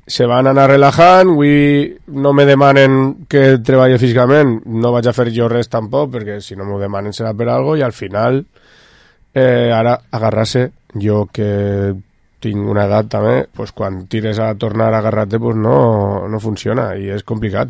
se van anar relajant, avui no me demanen que treballi físicament, no vaig a fer jo res tampoc, perquè si no m'ho demanen serà per algo, i al final eh, ara agarrar-se, jo que tinc una edat també, pues quan tires a tornar a agarrar-te pues no, no funciona i és complicat.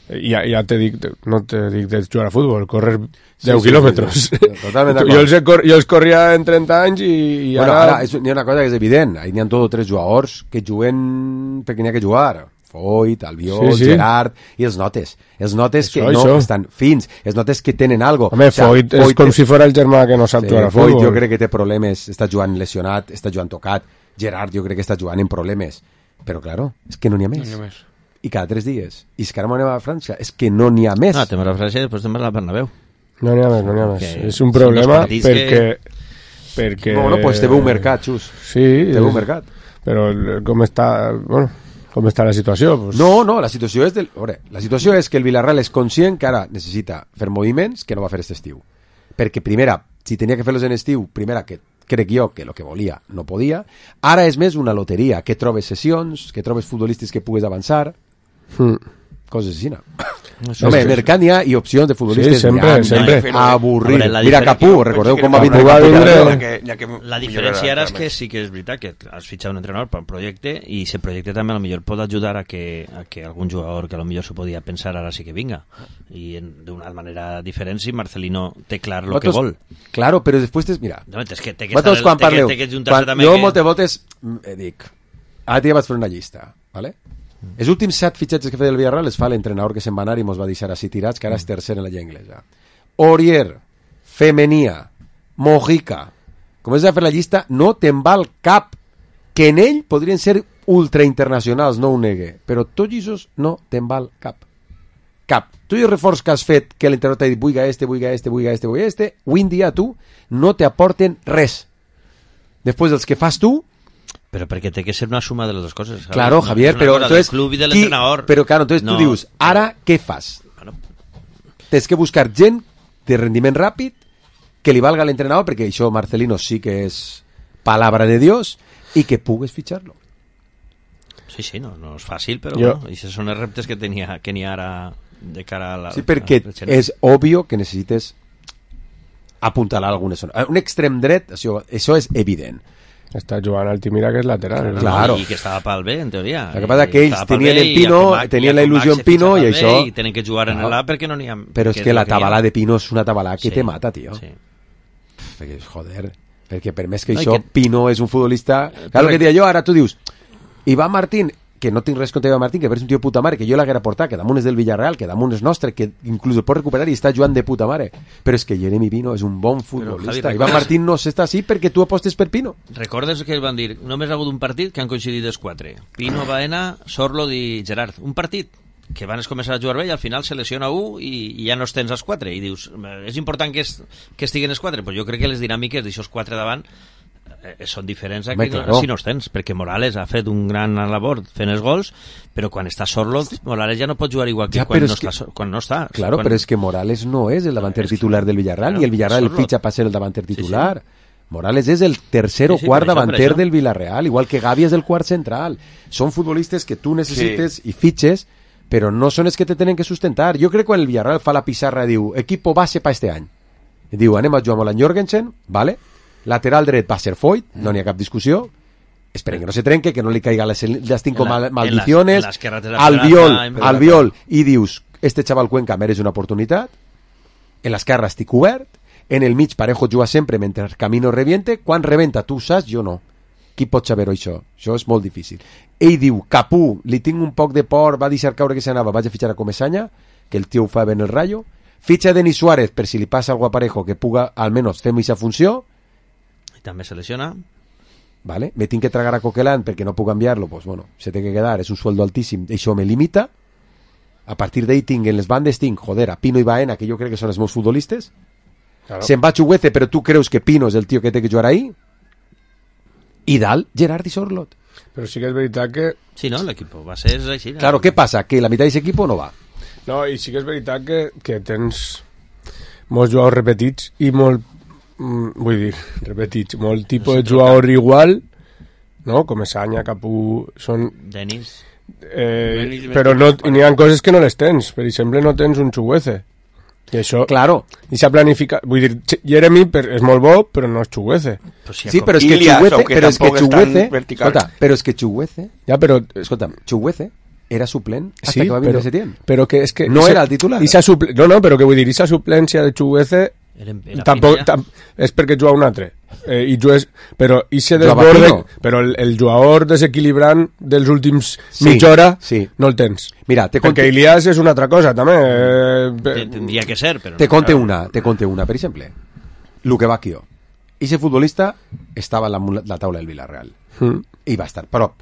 I ja, ja te dic, no te dic de jugar a futbol, correr deu sí, quilòmetres. sí, sí. Totalment d'acord. jo, els he cor jo els corria en trenta anys i, i Bueno, ara... ara, és, hi ha una cosa que és evident, ahí n'hi ha tots tres jugadors que juguen perquè n'hi ha que jugar. Foyt, Albiol, Sí, sí. Gerard, i els notes. Els notes que Això, no això. estan fins, els notes que tenen algo. Home, O sea, Foyt és com si fos el germà que no sap Sí, jugar a Foyt futbol. jo crec que té problemes, està jugant lesionat, està jugant tocat. Gerard jo crec que està jugant en problemes. Però, claro, és que no n'hi ha més. No hi ha més. I cada tres dies. I és que ara anem a França, és que no n'hi ha més. Ah, temes la França i després temes la Bernabéu. No n'hi ha més, no n'hi ha més. Que És un són problema dos partits perquè... que- perquè... Bueno, pues té un mercat, Xus. Sí. Té un és- mercat. Però el- com està... Bueno, com està la situació? Pues... No, no, la situació és del... Veure, la situació és que el Villarreal és conscient que ara necessita fer moviments que no va fer aquest estiu. Perquè, primera, si tenia que fer-los en estiu, primera, que crec jo que el que volia no podia. Ara és més una loteria, que trobes sessions, que trobes futbolistes que pugues avançar, Mm. coses així, no? Això Home, és- mercat n'hi ha i opcions de futbolistes Sí, sempre, n'hi ha, sempre. n'hi ha. Avorrit. Hombre, la Mira diferència- Capú, recordeu com va Capú vindre va Capú vindre- Capú. Ja que, ja que La diferència ara és que sí que és veritat que has fitxat un entrenador per un projecte i ese projecte també a lo millor pot ajudar a que, a que algun jugador que a lo millor s'ho podia pensar ara sí que vinga i d'una manera diferent si Marcelino té clar el que vol. Claro, però després tens... Mira, No, és que té que vosaltres estar quan té que- parleu, té que juntar-se quan també jo que- moltes voltes mm, eh, dic, ara ja vaig fer una llista, ¿vale? Els últims set fitxatges que feia el Villarreal els fa l'entrenador que se'n va anar i mos va deixar així tirats, que ara és tercer en la lliga anglesa. Orier, Femenia, Mojica. Comences a fer la llista, no te'n val cap. Que en ell podrien ser ultrainternacionals, no ho negue, però tots aquests no te'n val cap. Cap. Tu i el reforç que has fet, que l'entrenador t'ha dit vuiga este, vuiga este, vuiga este, vuiga este, avui en dia tu no t'aporten res. Després dels que fas tu, pero porque tiene que ser una suma de las dos cosas, ¿sabes? claro, no, Javier, pero entonces club y del qui, entrenador. pero claro, entonces no, tú dius, ara què fas? Bueno, Tens que buscar gent de rendiment ràpid que li valga a l'entrenador, perquè això Marcelino sí que és palabra de Dios, i que pugues fitxar-lo. sí, sí, no, no és fàcil, però Jo- bueno, i esos són els reptes que tenia que n'hi ha ara de cara a la... Sí, perquè a la- és obvio que necessites apuntalar alguna zona. Un extrem dret, això, això és evident. Està jugant Altimira, que és lateral. Claro, Claro. i que estava pel bé, en teoria. Lo que pasa I que ells estava pel tenien bé, el i Pino, a Comac- tenien i a la Comac il·lusió se en Pino, fitxava i bé, això- i tenen que jugar en Claro. l'A perquè no n'hi ha... Però és perquè que la no n'hi ha. tabalà de Pino és una tabalà que Sí. te mata, tio. Sí. Perquè, joder, perquè per més que No, i això, que- Pino és un futbolista... Claro, que dia jo, ara tu dius, Iván Martín, que no tinc res contra Iván Martín, que és un tio de puta mare, que jo l'haguera portat, que damunt és del Villarreal, que damunt és nostre, que inclús el pot recuperar i està jugant de puta mare. Però és que Jeremy Pino és un bon futbolista. Javi, Iván recordes- Martín no s'està així perquè tu apostes per Pino. Recordes que van dir, només ha hagut un partit que han coincidit els quatre. Pino, Baena, Sorlo i Gerard. Un partit que van començar a jugar bé i al final se lesiona un i, i ja no els tens els quatre. I dius, és important que, es, que estiguen els quatre? Pues jo crec que les dinàmiques d'aixòs quatre davant eh, són diferents a Home, que no, claro. si no els tens, perquè Morales ha fet un gran labor fent els gols, però quan està Sorlo, Morales ja no pot jugar igual que, Ja, quan, però no és que- està, Sor- quan no està. Claro, quan... però és que Morales no és el davanter titular del Villarreal, claro, ni el Villarreal el Sorlo. fitxa per ser el davanter Sí, sí. titular. Morales és el tercer o Sí, sí, quart per això, per davanter això. del Villarreal, igual que Gavi és el quart central. Són futbolistes que tu necessites i fitxes, però no són els que te tenen que sustentar. Jo crec que quan el Villarreal fa la pissarra diu equipo base pa este any. I diu anem a jugar amb la Jorgensen, vale? Lateral dret va ser Foyt, no n'hi ha cap discussió. Esperen que no se trenque, que no li caiga les, les cinco En la- mal, en maldiciones. las- en las carreteras Al de la- viol, en- al viol, i dius, este xaval Cuenca mereix una oportunitat. En l'esquerra estic obert. En el mig Parejo juga sempre mentre Camino reviente. Quan rebenta, tu saps, jo no. Qui pot saber-ho, això? Això és molt difícil. Ell diu, Capú, li tinc un poc de por, va deixar caure que s'anava, vaig a fitxar a Comesaña, que el tio ho fa bé en el Rayo. Fitxa Denis Suárez, per si li passa algo a Parejo, que puga almenys fer aquesta funció. I també se lesiona. Vale? Me tinc que tragar a Coquelin perquè no puc enviar-lo, pues bueno, se té que quedar, és un sueldo altíssim, això me limita. A partir d'ahí tinc en les bandes, tinc, joder, a Pino i Baena, que jo crec que són els meus futbolistes. Claro. Se'n va Chuguece, però tu creus que Pino és el tio que té que jugar ahí? I dalt, Gerard i Sorlot. Però sí que és veritat que... Sí, no? L'equip va ser així. no? Claro, què passa? Que la meitat d'aquest equip no va. No, i sí que és veritat que, que tens molts jugadors repetits i molt, mm, vull dir, repetits, molt tipus de jugador igual, no? Comesaña, Capú, són... Denis. Eh, Denis, però no, i n'hi ha coses que no les tens. Per exemple, no tens un Chuguece. I això... Claro. I s'ha planificat... Vull dir, Ch- Jeremy per, és molt bo, però no és Chuguece. Pues si Sí, però és que Ilias, Chuguece, aunque però és que tampoc és tan Chuguece, vertical. escolta, però és que Chuguece, Ja, però... escolta, Chuguece era suplent hasta Sí, que va vindre però, Setién. però que és que... No esa- era el titular. Esa suple, no, no, però que vull dir, aquesta suplència de Chuguece Era, era tampoc, Pino ja. tam, és perquè juga un altre. Eh, i jugues, però i se Jugava desborde, Pino. però el, el jugador desequilibrant dels últims Sí, mitja hora sí. no el tens. Mira, te Perquè conte, Ilias és una altra cosa, també. Eh, Te- Tendria que ser, però... te no. conte una, te conte una, per exemple. Luque Bacchio. Ese futbolista estava en la, la taula del Villarreal. Mm. I va estar prop.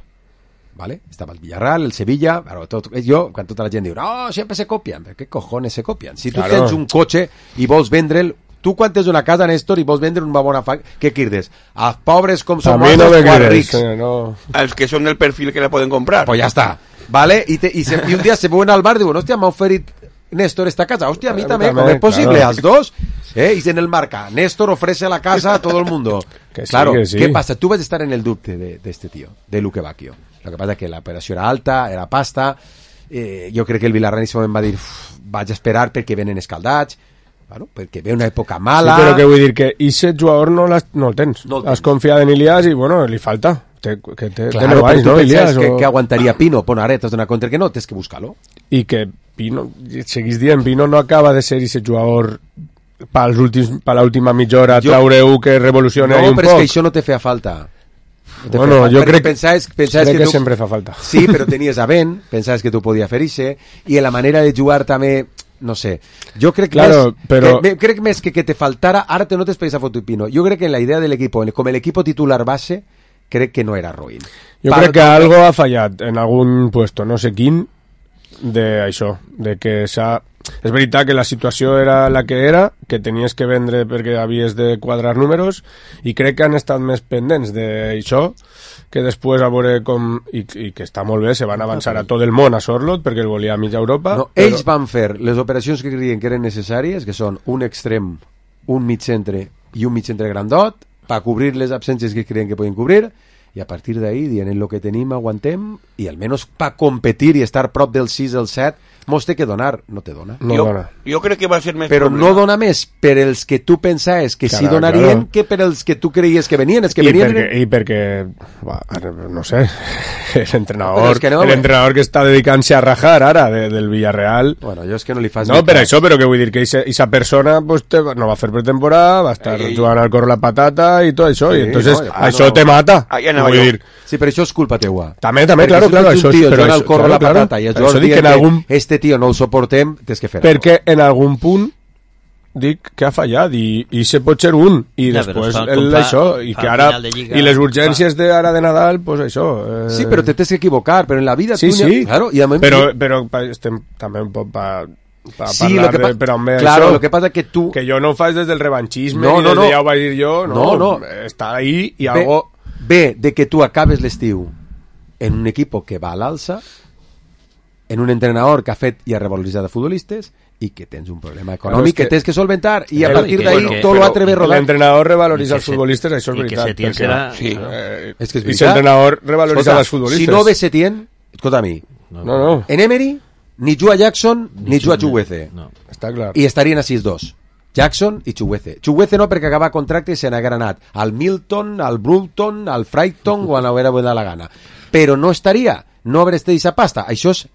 ¿Vale? Estaba el Villarreal, el Sevilla, claro, todo, yo, quan tota la gent diu, no, sempre se copian, però què cojones se copian? Si tu Claro. tens un cotxe i vols vendre'l, tu quan tens una casa, Néstor, i vols vendre una bona fa... Què quirdes? Els pobres com som A mi no me nosaltres, quants crees, rics. eh, no. Els que són del perfil que la poden comprar. Pues ya está. ¿Vale? Y, te, y, se, y un día se mueven al bar y digo, hostia, me ha oferido Néstor esta casa. Hostia, a mí A mí también, también, ¿cómo es posible? claro. Las dos. ¿Eh? Y en el marca, Néstor ofrece la casa a todo el mundo. Que sí, claro, que sí. ¿qué pasa? Tú vas a estar en el dubte de, de este tío, de Luque Bacchio. Lo que pasa es que la operació era alta, era pasta. Eh, jo crec que el Villarreal en aquest moment va dir, "Uf, vaig a esperar perquè venen escaldats. Bueno, perquè ve una època mala. Sí, però que vull dir que aquest jugador no, l'has- no el tens. No el Has tens. confiat en Ilias i, bueno, li falta. Té, que té, té Claro, nou però anys, tu no, pensaves Ilias? que, o... que aguantaria Pino. Bueno, ara t'has donat compte que no, tens que buscar-lo. I que Pino, seguís dient, Pino no acaba de ser aquest jugador pels últims, per l'última mitja hora Jo- traure-ho que revolucioni No, un però és poc. que això no te feia falta. No te Bueno, feia falta, jo perquè crec que- pensaves, pensaves crec que tu- sempre fa falta. Sí, però tenies a Ben, pensaves que tu podies fer ixe, i la manera de jugar també no sé. Jo crec, claro, més, però... que, crec més que que te faltara, ara te notes per esa foto y Pino, jo crec que en la idea del equipo, com el equipo titular base, crec que no era ruïn. Jo Part crec que algo ha fallat en algun puesto, no sé quin, de això, de que s'ha... És veritat que la situació era la que era, que tenies que vendre perquè havies de quadrar números, i crec que han estat més pendents d'això, que després a veure com... I, i que està molt bé, se van avançar a tot el món a Sorlot, perquè el volia a mitja Europa. No, però... Ells van fer les operacions que creien que eren necessàries, que són un extrem, un mig centre i un mig centre grandot, per cobrir les absències que creien que podien cobrir, i a partir d'ahí, dient el que tenim, aguantem, i almenys per competir i estar prop del sis, el set, mos té que donar, no te dona. No jo, dona. jo crec que va ser més però problema. no dona més per els que tu pensaves que Claro, sí donarien claro. que per els que tu creies que venien. Els que I venien perquè, eren... i perquè va, no sé, l'entrenador Però és que no, l'entrenador que està dedicant-se a rajar ara de, del Villarreal. Bueno, jo és que no li fas... No, ni per cas. això, però que vull dir que aquesta persona pues, te, no va fer pretemporada, va estar Ei, ei. jugant al corro la patata i tot això, Sí, i entonces no, no, ja, això no. te mata. Ah, ja anava vull jo. dir, Sí, però això és culpa teua. també, també, Perquè claro, si claro, tu ets això un tio però jugant això, al corro claro, la claro. patata i els Això jugadors dic que dient en que algun... este tio no el suportem, tens que fer-ho. perquè en algun punt dic que ha fallat i, i se pot ser un i Ja, però després fa- el, com fa- això i fa que al ara final de Lliga, i les urgències d'ara de Nadal pues això eh... Sí, però te tens que equivocar, però en la vida sí, tu... sí, Claro, i a mi... però, però pa, estem també un poc pa, pa Sí, parlar lo que de, pa... però home, claro, això, lo que pasa que tu... que jo no ho faig des del revanchisme No, ni no, des no. de ja ho vaig dir jo no, No, no. està ahí i Ve, algo ve de que tu acabes l'estiu en un equipo que va a l'alça, en un entrenador que ha fet i ha revaloritzat a futbolistes i que tens un problema econòmic Claro, és que, que- tens que solventar i a Claro, partir i que- d'ahí bueno, tot lo però altre ve rodant. l'entrenador revaloriza I que els se- futbolistes, això és i que veritat Setién perquè, serà- Sí. eh, És que és i veritat. l'entrenador revaloriza Escolta, els futbolistes si no ve Setién, escolta a mi, no, no, en Emery ni juga Jackson ni juga Chuguece No. està clar i estarien a sis dos. Jackson i Chuguece. Chuguece no, perquè acaba contracte i se n'ha granat al Milton, al Brulton, al Brighton o a la vera la gana. Però no estaria, no haver estat aquesta pasta. Això és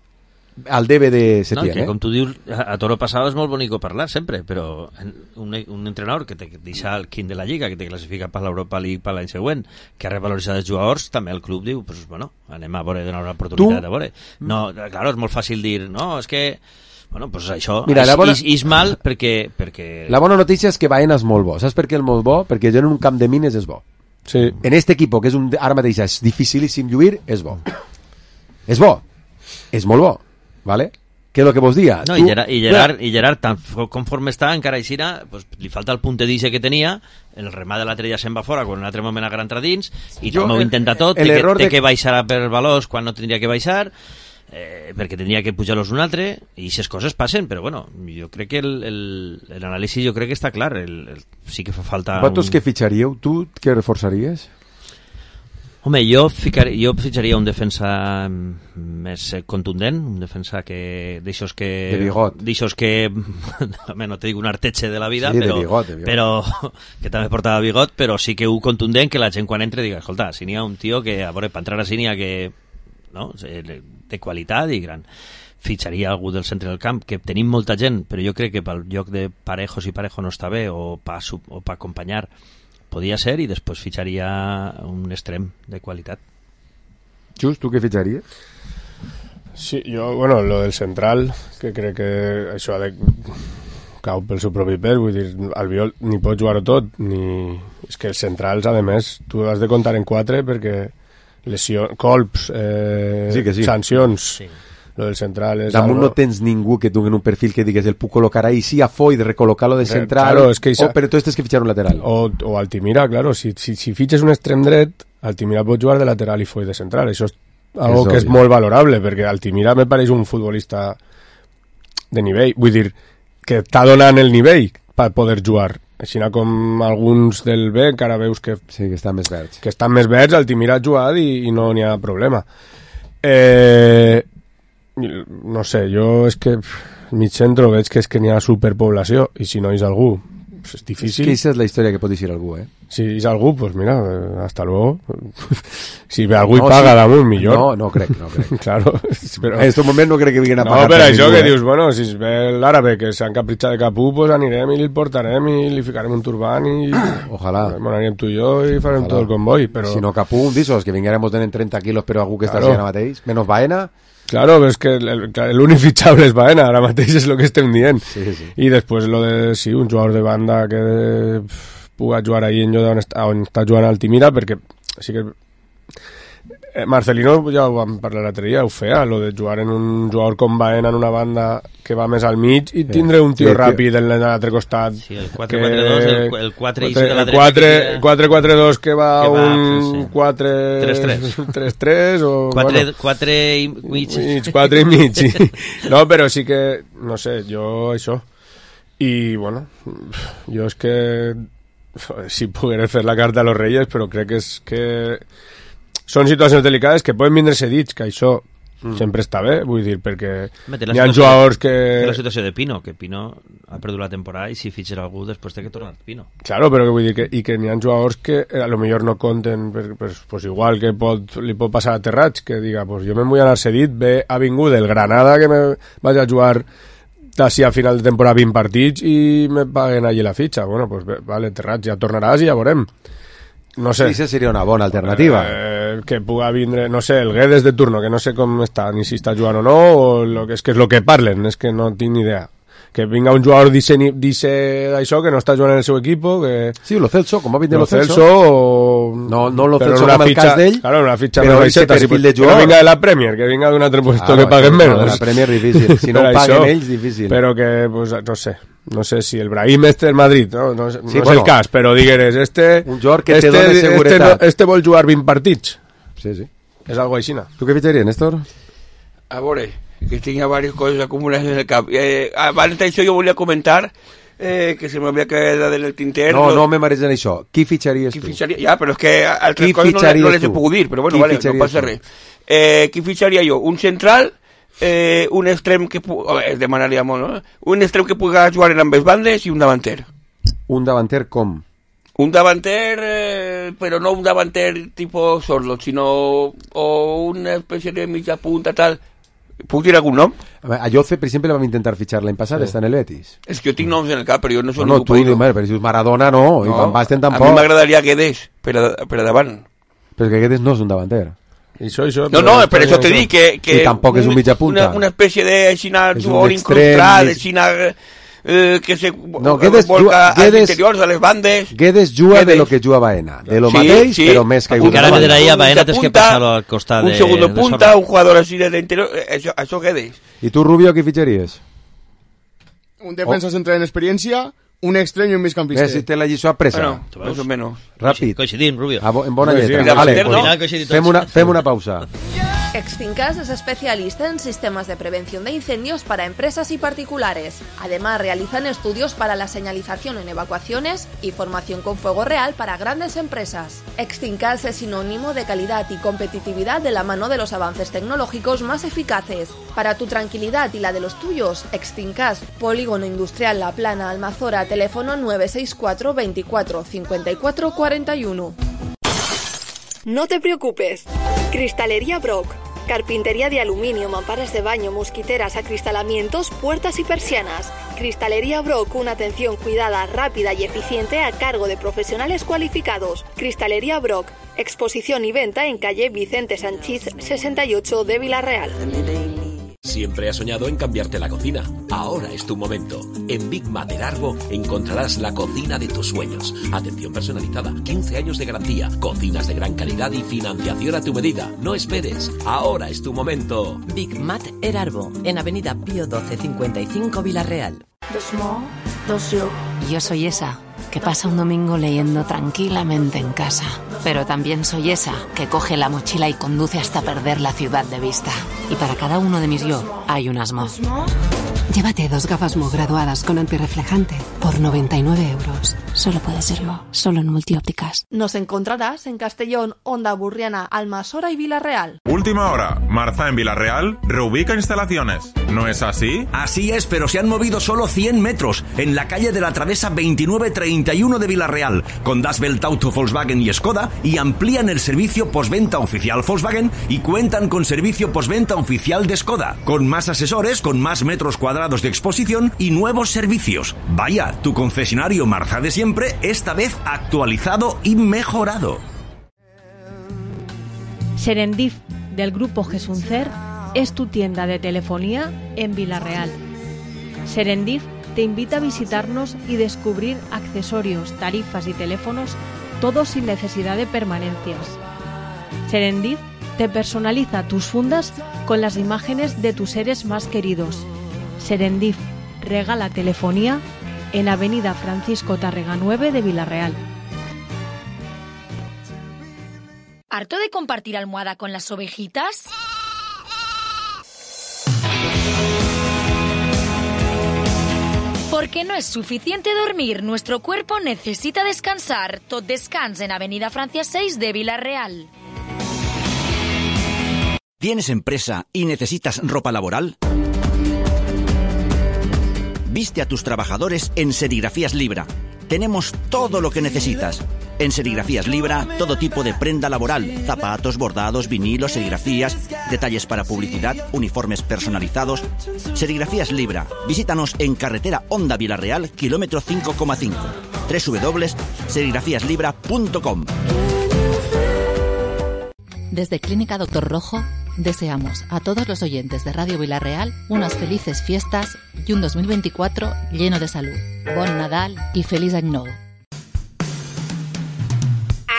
el debe de No, Setién, que eh? com tu dius, a, a toro passado és molt bonico parlar sempre, però en- un, un entrenador que te deixa el quint de la Lliga, que te classifica per l'Europa League per l'any següent, que ha revaloritzat els jugadors, també el club diu, pues, bueno, anem a veure, donar una oportunitat Tu- de veure. No, claro, és molt fàcil dir, no, és que bueno, pues això Mira, és, la bona- és, és mal perquè... perquè... La bona notícia és que Baena és molt bo. Saps per què és molt bo? Perquè jo en un camp de mines és bo. sí. En este equipo, que és un, ara mateix és dificilíssim lluir, és bo. És bo. És molt bo. Vale? Què és el que vos dia? No, i Gerard, i Gerard, i Gerard tan fo- conforme està, encara aixina, pues, li falta el puntedice que tenia, el remat de l'altre ja se'n va fora, quan un altre moment agarra entra dins, i Jo, també ho el- intenta tot, el té, que, error té de- que baixar per valors quan no tindria que baixar, eh, perquè tindria que pujar-los un altre, i aquestes coses passen, però bueno, jo crec que el, el, el anàlisi jo crec que està clar, el, el, sí que fa falta... Vosaltres un... què fitxaríeu? Tu què reforçaries? Home, jo, ficar, jo fitxaria un defensa mm, més eh, contundent, un defensa que d'aixòs que... De bigot. D'aixòs que... home, no te dic un arteche de la vida, Sí, de però, bigot, de bigot. però que també portava bigot, però sí que un contundent que la gent quan entre diga, escolta, si n'hi ha un tio que, a veure, per entrar així n'hi ha que... No? De qualitat i gran. Fitxaria algú del centre del camp, que tenim molta gent, però jo crec que pel lloc de Parejos i Parejo no està bé, o per o pa acompanyar podia ser, i després fitxaria un extrem de qualitat. Just, tu què fitxaries? Sí, jo, bueno, lo del central, que crec que això ha de cau pel seu propi pes, vull dir, Albiol ni pot jugar-ho tot, ni... És que els centrals, a més, tu has de comptar en quatre perquè lesió, colps, eh, Sí que sí. sancions, Sí. lo del central és Damunt algo... no tens ningú que dugui un perfil que digues el puc col·locar ahí, sí, a Foy, de recol·locar-lo de Eh, central, claro, es que esa- o, però tu tens que fitxar un lateral. O, o Altimira, claro, si, si, si fitxes un extrem dret, Altimira pot jugar de lateral i Foy de central, això és algo És que és obvi. molt valorable, perquè Altimira me pareix un futbolista de nivell, vull dir, que està donant el nivell per poder jugar, així com alguns del B, que ara veus que, Sí, que estan més verds. que estan més verds, Altimira ha jugat i, i no n'hi ha problema. Eh, no sé, jo és que pff, mig centre veig que és que n'hi ha superpoblació, i si no és algú, pues és És difícil. que aquesta és la història que pot dir algú, eh? Si és algú, pues mira, eh, hasta luego. Si ve algú No, i paga sí. damunt, millor. No, no crec, no crec. Claro, però... En aquest moment no crec que vinguin a No, pagar. per per això ningú, que eh? dius, bueno, si es ve l'àrabe que s'han capritxat de capú, pues anirem i li portarem i li ficarem un turbant i... Ojalà. Bueno, anirem tu i jo i farem Ojalà. tot el comboi, però... Si no cap un d'esos, que vinguéramos tenen trenta quilos però algú que està Claro. així ara mateix, menos Baena, Claro, però és que l'únic fitxable és Baena, ara mateix és el que estem dient. Sí, sí. I després lo de, sí, un jugador de banda que puga jugar ahí en lloc on està, on està jugant Altimira, perquè sí que eh, Marcelino, ja ho vam parlar l'altre dia, ho feia, lo de jugar en un jugador com Baena en una banda que va més al mig i tindre un tio sí, ràpid en l'altre costat. Sí, el quatre quatre dos, el, el quatre de la dreta. quatre quatre dos que va que un quatre tres tres o... quatre i mig. quatre i mig, sí. No, però sí que, no sé, jo això. I, bueno, jo és que si poguera fer la carta a los Reyes, però crec que és que són situacions delicades que poden vindre cedits, que això mm. sempre està bé, vull dir, perquè hi ha jugadors que... La situació de Pino, que Pino ha perdut la temporada i si fitxer algú després té que tornar Pino. Claro, però que vull dir que, i que n'hi ha jugadors que a lo millor no compten, per, per, pues igual que pot, li pot passar a Terrats, que diga, pues jo me'n vull anar cedit, ve a vingut del Granada que me vaig a jugar d'ací a final de temporada vint partits i me paguen allí la fitxa. Bueno, pues vale, Terrats, ja tornaràs i ja veurem. No sé. Sí, seria una bona alternativa. Eh, que puga vindre, no sé, el Guedes de turno, que no sé com està, ni si està jugant o no, o lo que és que és lo que parlen, és que no tinc ni idea. Que vinga un jugador dice d'això, que no està jugant en el seu equip, que... Sí, lo Celso, com va vindre lo, lo Celso. Celso o... No, no lo Celso com el cas d'ell, claro, una fitxa però ese perfil de jugador. Que no vinga de la Premier, que vinga d'un altre puesto claro, que paguen sí, menos. De la Premier difícil, si no paguen això, ells, difícil. Però que, pues, no sé, no sé si el Brahim este del Madrid, no, no, no sí, és bueno, el cas, però digueres, este... Un jugador que este, te dona seguretat. Este, este vol jugar vint partits. Sí, sí. És algo així, no? Tu què fitxaries, Néstor? A veure, que tenía varias cosas acumuladas en el cap. Eh, abans d'això jo volia comentar eh, que se m'havia quedat en el tinter. No, no me mareges en això. Qui fitxaries qui tu? Fitxaria? Ja, però és que altres coses no, no les he pogut dir, però bueno, vale, no passa res. Eh, qui fitxaria jo? Un central, eh, un extrem que... Oh, es demanaria molt, no? Un extrem que pugui jugar en ambes bandes i un davanter. Un davanter com? Un davanter, eh, però no un davanter tipo Sorlot, sinó o una espècie de mitja punta, tal... Puc dir algun nom? A Yoce, per exemple, vam intentar fitxar l'any passat, sí. Està en el Betis. És que jo tinc noms en el cap, però jo no soc no, ningú. No, tu, però si Maradona no, no, i Van Basten tampoc. A mi m'agradaria Guedes, per a, per a davant. Però que Guedes no és un davanter. Això, això, no, no, per això te dic que... que I tampoc és un mitja punta. Una, una espècie de xina jugador incrustat, de xina... Eh, que se no, Guedes, volca Guedes, als interiors, a les bandes. Guedes juga Guedes. De lo que juga Baena, de lo sí, mateix, sí. Però més que encara me diria Baena tens que passar-lo al costat un de... Un segundo punta, un jugador així de l'interior, això, això Guedes. I tu, Rubio, qui fitxaries? Un defensa oh. central en experiència, un extrem i un migcampista. Ves si té la lliçó apresa. Bueno, més o menys. Ràpid. Coincidim, Rubio. A bo, en bona sí, lletra. Sí, vale, no? fem, una, fem una pausa. Extincas es especialista en sistemas de prevención de incendios para empresas y particulares. Además, realizan estudios para la señalización en evacuaciones y formación con fuego real para grandes empresas. Extincas es sinónimo de calidad y competitividad de la mano de los avances tecnológicos más eficaces. Para tu tranquilidad y la de los tuyos, Extincas, Polígono Industrial La Plana, Almazora, teléfono nueve seis cuatro veinticuatro cincuenta y cuatro cuarenta y uno. No te preocupes. Cristalería Brock. Carpintería de aluminio, mamparas de baño, mosquiteras, acristalamientos, puertas y persianas. Cristalería Brock, una atención cuidada, rápida y eficiente a cargo de profesionales cualificados. Cristalería Brock. Exposición y venta en calle Vicente Sanchís sesenta y ocho de Villarreal. Siempre has soñado en cambiarte la cocina. Ahora es tu momento. En Big Mater Arbo encontrarás la cocina de tus sueños. Atención personalizada, quince años de garantía, cocinas de gran calidad y financiación a tu medida. No esperes. Ahora es tu momento. Big Mater Arbo, en Avenida Pío doce cincuenta y cinco Villarreal. Dos mo, dos yo. Yo soy esa que pasa un domingo leyendo tranquilamente en casa. Pero también soy esa que coge la mochila y conduce hasta perder la ciudad de vista. Y para cada uno de mis yo hay un asmo. Llévate dos gafas Mo graduadas con antirreflejante por noventa y nueve euros. Solo puede ser Mo, solo en Multiópticas. Nos encontrarás en Castellón, Onda Burriana, Almasora y Villarreal. Última hora. Marza en Villarreal reubica instalaciones. ¿No es así? Así es, pero se han movido solo cien metros en la calle de la Travesa veintinueve treinta y uno de Villarreal, con Das Welt Auto, Volkswagen y Skoda, y amplían el servicio postventa oficial Volkswagen y cuentan con servicio postventa oficial de Skoda, con más asesores, con más metros cuadrados de exposición y nuevos servicios. Vaya, tu concesionario Marza de siempre, esta vez actualizado y mejorado. Serendip, del grupo Gesuncer, es tu tienda de telefonía en Vila-real. Serendip te invita a visitarnos y descubrir accesorios, tarifas y teléfonos, todos sin necesidad de permanencias. Serendip te personaliza tus fundas con las imágenes de tus seres más queridos. Serendip regala telefonía en Avenida Francisco Tárrega nueve de Vila-real. ¿Harto de compartir almohada con las ovejitas? Porque no es suficiente dormir, nuestro cuerpo necesita descansar. Tot Descans en Avenida Francia seis de Vila-real. ¿Tienes empresa y necesitas ropa laboral? Viste a tus trabajadores en Serigrafías Libra. Tenemos todo lo que necesitas. En Serigrafías Libra, todo tipo de prenda laboral, zapatos, bordados, vinilos, serigrafías, detalles para publicidad, uniformes personalizados. Serigrafías Libra. Visítanos en carretera Honda Vila-real, kilómetro cinco coma cinco. doble u doble u doble u punto serigrafías libra punto com. Desde Clínica Doctor Rojo, deseamos a todos los oyentes de Radio Vila-real unas felices fiestas y un dos mil veinticuatro lleno de salud. Bon Nadal y feliz año nuevo.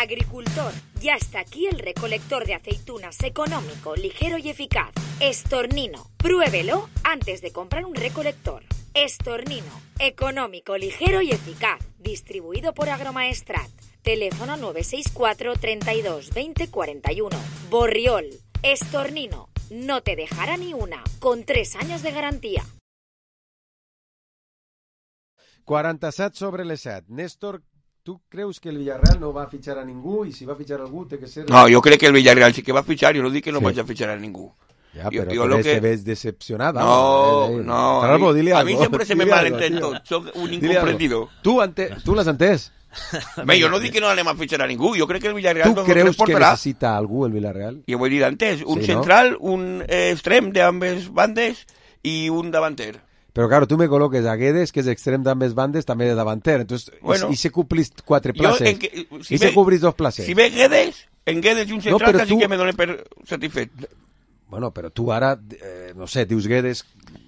Agricultor, ya está aquí el recolector de aceitunas económico, ligero y eficaz. Estornino, pruébelo antes de comprar un recolector. Estornino, económico, ligero y eficaz. Distribuido por Agromaestrat. Teléfono nueve seis cuatro, treinta y dos, veinte, cuarenta y uno. Borriol, Estornino, no te dejará ni una, con tres años de garantía. quaranta-set sobre les set. Néstor, ¿tú creus que el Villarreal no va a fichar a ningú? Y si va a fichar a algú, té que ser... No, jo crec que el Villarreal sí que va a fichar, jo no dic que no sí. vaig a fichar a ningú. Ja, jo, però jo per que... te ves decepcionada. No, no, no a, mi, a mi sempre se me malentén tot, soc un incomprendido. Tu, ente... tu l'has entès? Bé, jo no dic que no anem a fitxar a ningú, jo crec que el Villarreal tu creus que necessita algú el Villarreal? Jo ho he dit antes, un sí, central, no? un eh, extrem de ambes bandes i un davanter. Però, claro, tu me col·loques a Guedes, que és extrem d'ambes bandes, també de davanter. Entonces, bueno, i, i se complís quatre places. Que, I si se cobrís dos places. Si ve Guedes, en Guedes i un central, no, quasi tu... que me donen per satisfet. Bueno, però tu ara, eh, no sé, dius Guedes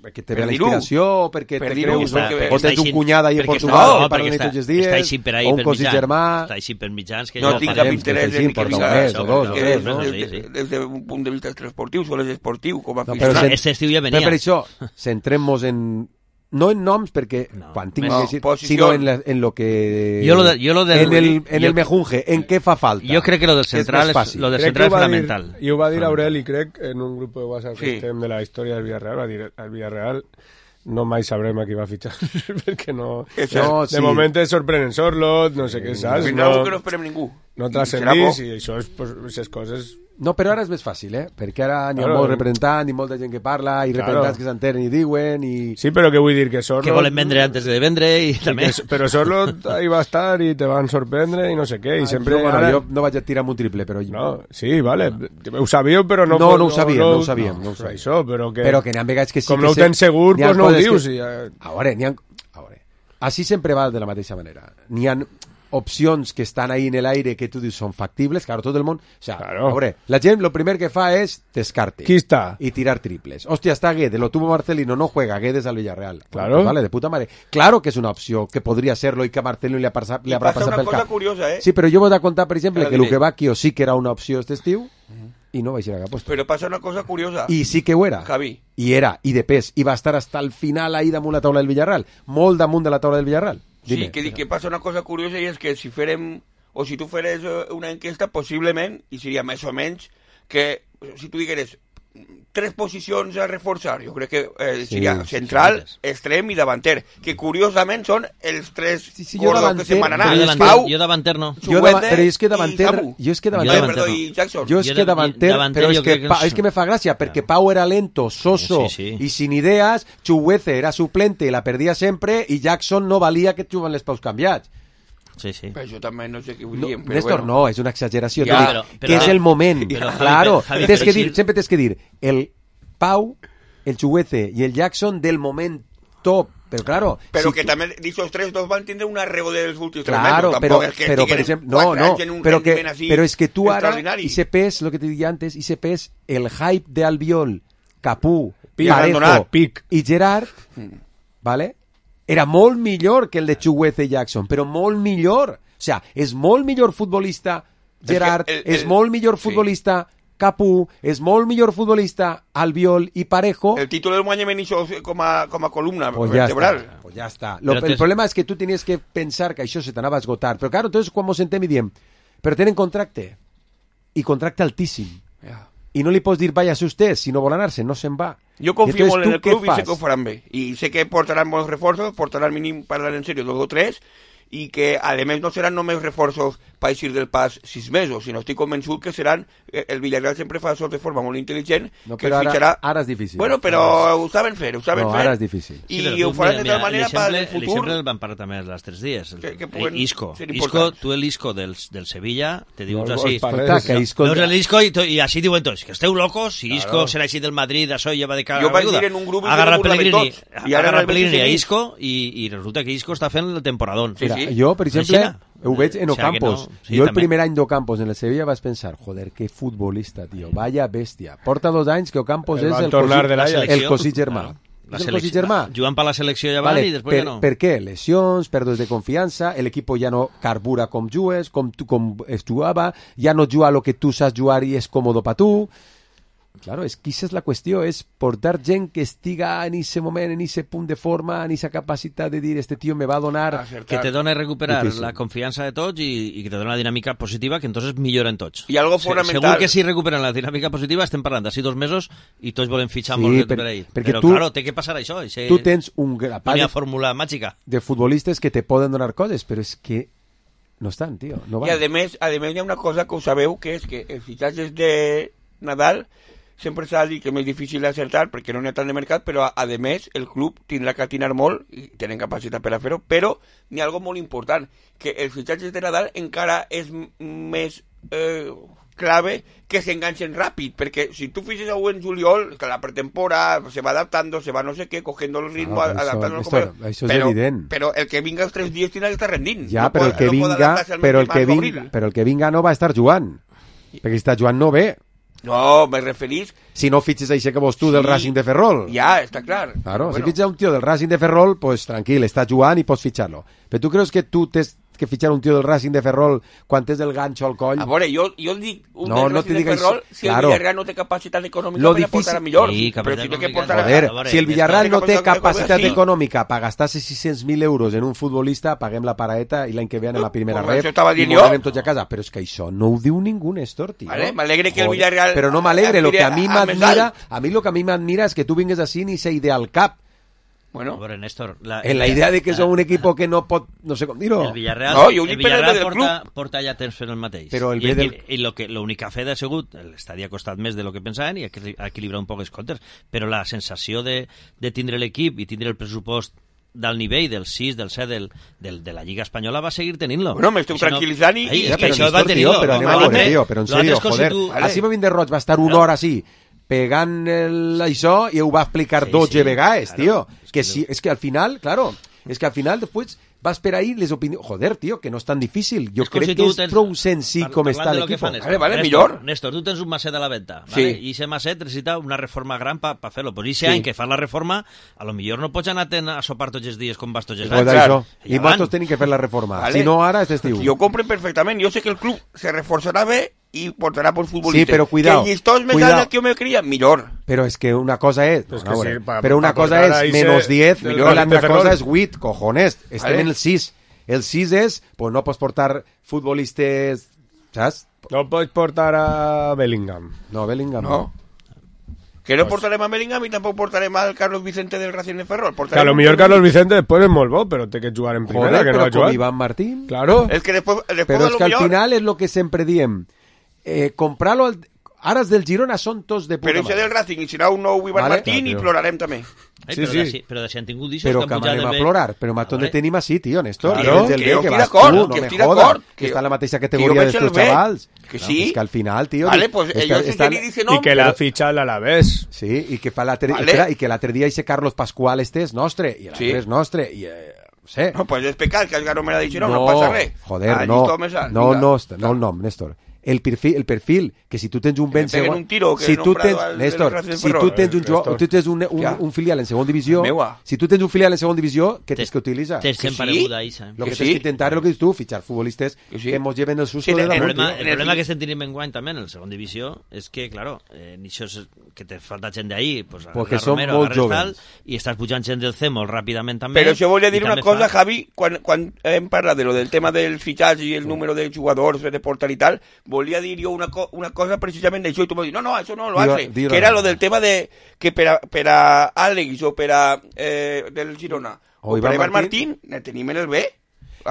perquè te ve la inspiració, o perquè te creus, o tens un cunyada ahí en Portugal que parla tots els dies, o un cosí germà... Està així per mitjans... No tinc cap interès en que més, o dos, o tres, no? Des d'un punt de vista esportiu, o les esportiu, com a aficionat. Aquest estiu ja venia. Per això, centrem-nos en... No en noms, perquè no, quan tinc no, que decir, sino en, la, en lo que... Yo lo de, yo lo del, en el, en yo, el mejunje, en què fa falta. Yo creo que lo del central es, es, lo del central es fundamental. Dir, I ho va dir Aureli, crec, en un grup de WhatsApp sí. que estem de la història del Villarreal, va dir, el Villarreal no mai sabrem a qui va fitxar, perquè no... no de sí. moment es sorprenen Sorlot, no sé què saps. No, no, que no esperem ningú. No transcendís, i això és, pues, aquestes coses... No, però ara és més fàcil, eh? Perquè ara n'hi ha claro, molt representant, i molta gent que parla, i claro. representants que s'enteren i diuen, i... Sí, però què vull dir? Que Sorlot... Que volen vendre antes de vendre, i també... Que, però Sorlot ahí va estar, i te van sorprendre, i no sé què, i ah, sempre... Jo, bueno, ara... jo no vaig a tirar amb un triple, però... No, sí, vale, ho sabíeu, però no... No, no ho sabíem, no, no ho sabíem. No, no ho sabíem. Això, però que... Però que n'hi ha vegades que sí com que... Com no ho tens segur, doncs no ho dius. Que... I... A veure, n'hi ha... A veure, així sempre va de la mateixa manera. N'hi ha... opcions que estan ahí en el aire que tú dices son factibles, claro, todo el mundo, o sea, claro. Hombre, la gente lo primer que fa es descarte. ¿Quién está? Y tirar triples. Hostia, está Guedes, lo tuvo Marcelino, no juega Guedes al Villarreal. Claro. Pues vale, de puta madre. Claro que es una opción, que podría serlo y que a Marcelino le, pasa, le habrá pasado una cosa curiosa, eh? Sí, pero yo voy a contar, por ejemplo, que Luque Bacchio sí que era una opción este estiu, uh-huh. y no vais a ir a puesto. Pero pasa una cosa curiosa. Y sí que ho era. Javi. Y era, y de pes, iba a estar hasta el final ahí damunt la taula del Villarreal. Molt damunt de la taula del Villarreal. Dime. Sí, que, que passa una cosa curiosa i és que si farem, o si tu fares una enquesta, possiblement, i seria més o menys, que si tu digueres tres posicions a reforçar, jo crec que eh, seria sí, central, sí, extrem i davanter, que curiosament són els tres sí, sí, gordos que se'n van anar. Jo davanter, Pau, jo davanter no. Jo da, però és que davanter... Jo és que davanter... Jo, perdó, i Jackson. Jo és que davanter... davanter però és que, que, pa, és que me fa gràcia, perquè Pau era lento, soso sí, sí. y sin ideas, Chuguece era suplente i la perdia sempre, i Jackson no valia que juguen les paus canviats. Sí, sí. Però jo també no sé què vull dir. No, Néstor, bueno. no, és una exageració. Ja, però, però, que és el moment. Però, claro, Javi, tens que dir, si... sempre tens que dir el Pau, el Chuguece i el Jackson del moment top. Però claro... Però si que tu... també, dichos tres dos van tindre una arrego dels últims claro, tres però, mesos. Que però, per exemple, no, no, però, que, però és que tu ara, i se pes, lo que te dije antes, i se pes el hype de Albiol Capú, Pic. Parejo Pic. i Gerard, ¿vale? Era molt millor que el de Chukwueze Jackson, però molt millor. O sea, és molt millor futbolista Gerard, el, el, és molt millor futbolista sí. Capú, és molt millor futbolista Albiol i Parejo. El títol del guany me hizo com a, com a columna pues vertebral. Ya está, pues ya está. Lo, el problema es que tú tienes que pensar que això se t'anava a esgotar. Però claro, entonces quan mos sentem i diem, però tenen contracte, i contracte altíssim. Yeah. I no li pots dir vaya usted, si no vol anar-se, no se'n va. Jo confio molt en el club i fas? sé que ho faran bé. I sé que portaran molts reforços, portaran mínim, parlant en serio, dos o tres, i que, a més, no seran només reforços per eixir del pas sis mesos, sinó estic convençut que seran... El Villarreal sempre fa això de forma molt intel·ligent, no, que però fitxarà... Ara, ara és difícil. Bueno, però ho saben fer, ho saben no, fer. Ara és difícil. I sí, ho faran de tal manera per el futur... L'exemple el van parlar també els tres dies. El, que, que puguen Isco. Isco, tu l'Isco del, del Sevilla, te dius no, així. Escolta, que Isco... Veus l'Isco i, i així diuen tots, que esteu locos, si Isco claro. serà així del Madrid, això ja va de cara jo vaig dir en un grup agarra el Pellegrini, i ara agarra el Pellegrini a Isco i, i resulta que Isco està fent el temporadón. Sí, sí. Jo, per exemple, ho veig en Ocampos. O sea, no. sí, jo el també. primer any d'Ocampos en el Sevilla vaig pensar, joder, que futbolista, tio, vaya bèstia. Porta dos anys que Ocampos és el, cosi, el cosí germà. La és el cosí germà. Jugant per la selecció ja vale, van i després per, ja no. Per què? Lesions, pèrdues de confiança, l'equip ja no carbura com jugues, com, tu, com es jugava, ja no juga lo que tu saps jugar i és còmodo per tu. Claro, és que aquesta és la qüestió, és portar gent que estiga en ese moment, en ese punt de forma, en esa capacitat de dir, este tío me va a donar... Acertar. Que te dona recuperar Difícil. La confiança de tots i, i que te dona una dinàmica positiva que entonces milloren tots. I algo fonamental... Segur que si recuperen la dinàmica positiva estem parlant d'ací dos mesos i tots volen fitxar sí, molt per, per ell. Perquè Però tu, claro, té que passar això. Ese, tu tens un grapat una fórmula màgica de futbolistes que te poden donar coses, però és que no estan, tio. No I a més, a més hi ha una cosa que ho sabeu, que és que els fitxatges de Nadal sempre s'ha dit que és més difícil d'acertar perquè no n'hi ha tant de mercat, però a, a més el club tindrà que atinar molt i tenen capacitat per a fer-ho, però n'hi ha algo molt important, que els fitxatges de Nadal encara és més eh, clave que s'enganxen ràpid, perquè si tu fixes algú en juliol, que la pretemporada se va adaptando, se va no sé què, cogiendo el ritmo, ah, adaptando això, esto, això és però, evident. Però el que vinga els tres dies tindrà que estar rendint. Ja, no però, pot, el que no vinga, però, el que vinga, però el que vinga no va estar jugant, perquè si està jugant no ve. No, me referís... Si no fitxes això que vols tu sí, del Racing de Ferrol. Ja, està clar. Claro, bueno. Si fitxes un tio del Racing de Ferrol, pues tranquil, està jugant i pots fitxar-lo. Però tu creus que tu tens que fitxar un tio del Racing de Ferrol quan tens el ganxo al coll? A veure, jo, jo dic un no, del no Racing de Ferrol això. si claro. el Villarreal no té capacitat econòmica per difícil... portar a millor. Sí, però si té que portar a... Joder, a... si el Villarreal no té capacitat econòmica per gastar-se sis-cents mil euros en un futbolista, paguem la paraeta i l'any que ve anem a primera ref i ens anem tots a casa. Però és que això no ho diu ningú, Néstor, tio. Vale, m'alegre que el Villarreal... Però no m'alegre, lo que a mi m'admira, a mi lo que a mi m'admira és que tu vingues així ni esa idea al cap. Bueno, veure, Néstor, la, en la idea de que som un equipo que no pot, no sé com dir-ho. El Villarreal, no, el Villarreal porta, porta ja temps fent el mateix. Però el I, del... i, i lo que l'única fe ha sigut, l'estadi ha costat més de lo que pensaven i ha equilibrat un poc els comptes, però la sensació de, de tindre l'equip i tindre el pressupost del nivell del sis, del set, del, del, de la Lliga Espanyola va seguir tenint-lo. Bueno, m'estic tranquil·litzant i... Ai, ja, és que però això va tenir-lo. Però anem a veure, tio, però en sèrio, joder. Tu... Així va vindre Roig, va estar una hora així, pegant el, això i ho va explicar sí, dotze sí, vegades, claro, tio. Es que, si, es que al final, claro, es que al final después vas per ahí les opinions... Joder, tio, que no és tan difícil. Jo és crec si que és tens... prou senzill com està l'equip. Vale, vale, Néstor, millor. Néstor, tu tens un macet a la venda, sí. ¿vale? I ese macet necessita una reforma gran per pa fer-lo. Pues ese sí. any que fas la reforma, a lo millor no pots anar a sopar tots els dies com vas tots els anys. Claro. I vosaltres tenim que fer la reforma. Vale. Si no, ara és estiu. Jo compro perfectament. Jo sé que el club se reforçarà bé i portarà bons futbolistes. Sí, però cuidao. Que el llistó és més alt del que jo me creia, millor. Però és que una cosa és... Pues no, sí, pa, però una pa cosa és menos diez i l'altra cosa és vuit, cojones. Estem vale. en el sis. El sis és, pues no pots portar futbolistes, saps? No pots portar a Bellingham. No, Bellingham no. Que no portarem a Bellingham i tampoc portarem al Carlos Vicente del Racing de Ferrol. Que a lo millor Carlos Vicente después es molt bo, però té que jugar en primera, Joder, que no ha però jugat. com Iván Martín. Claro. Es que después, después però és que al millor... final és lo que sempre diem. Eh, comprar-lo... Al... Ara els del Girona són tots de puta però això del Racing i serà un nou Iván vale? Martín no, i plorarem també. Ai, sí, però, sí. De, però de si han tingut d'això... Però que anem a plorar. Però a on tenim així, tio, Néstor? Claro, que, que jo estic d'acord, no que estic d'acord. Que està en la mateixa categoria d'estos xavals. Que sí. No, és que al final, tio... Vale, pues ellos está, está... dicen no, I que la ficha a l'Alavés. Sí, i que fa l'altre vale. I que l'altre dia ese Carlos Pascual este és nostre, i l'altre sí. és nostre, i... Eh, no sé. No, pues és pecat que el Garo me l'ha dit, no, no, no passa res. Joder, ah, no, no, no, no el nom, Néstor. el perfil, el perfil que si tu tens un ben segon... un tiro, que si tu tens, el, Néstor, el si tu tens un, jo, tu tens un, un, un filial en segona divisió, si tu tens un filial en segona divisió, què tens que utilitzar? Tens que empareguda, Isa. Lo que tens que intentar és el que dius tu, fichar futbolistes que ens lleven el susto de la muerte. El problema que estem tenint en guany també en el segona divisió és que, claro, eh, això és que te falta gent d'ahí, pues agarres Romero, agarres tal, i estàs pujant gent del C molt ràpidament també. Però això volia dir una cosa, Javi, quan, quan hem parlat de lo del tema del fitxatge i el número de jugadors de portar i tal, volia dir jo una, co una cosa precisament d'això, i tu m'ho dius, no, no, això no lo hace, que era lo del tema de que per a, per a Àlex o per a eh, del Girona o, o per a Iván Martín, ne tenim en el B.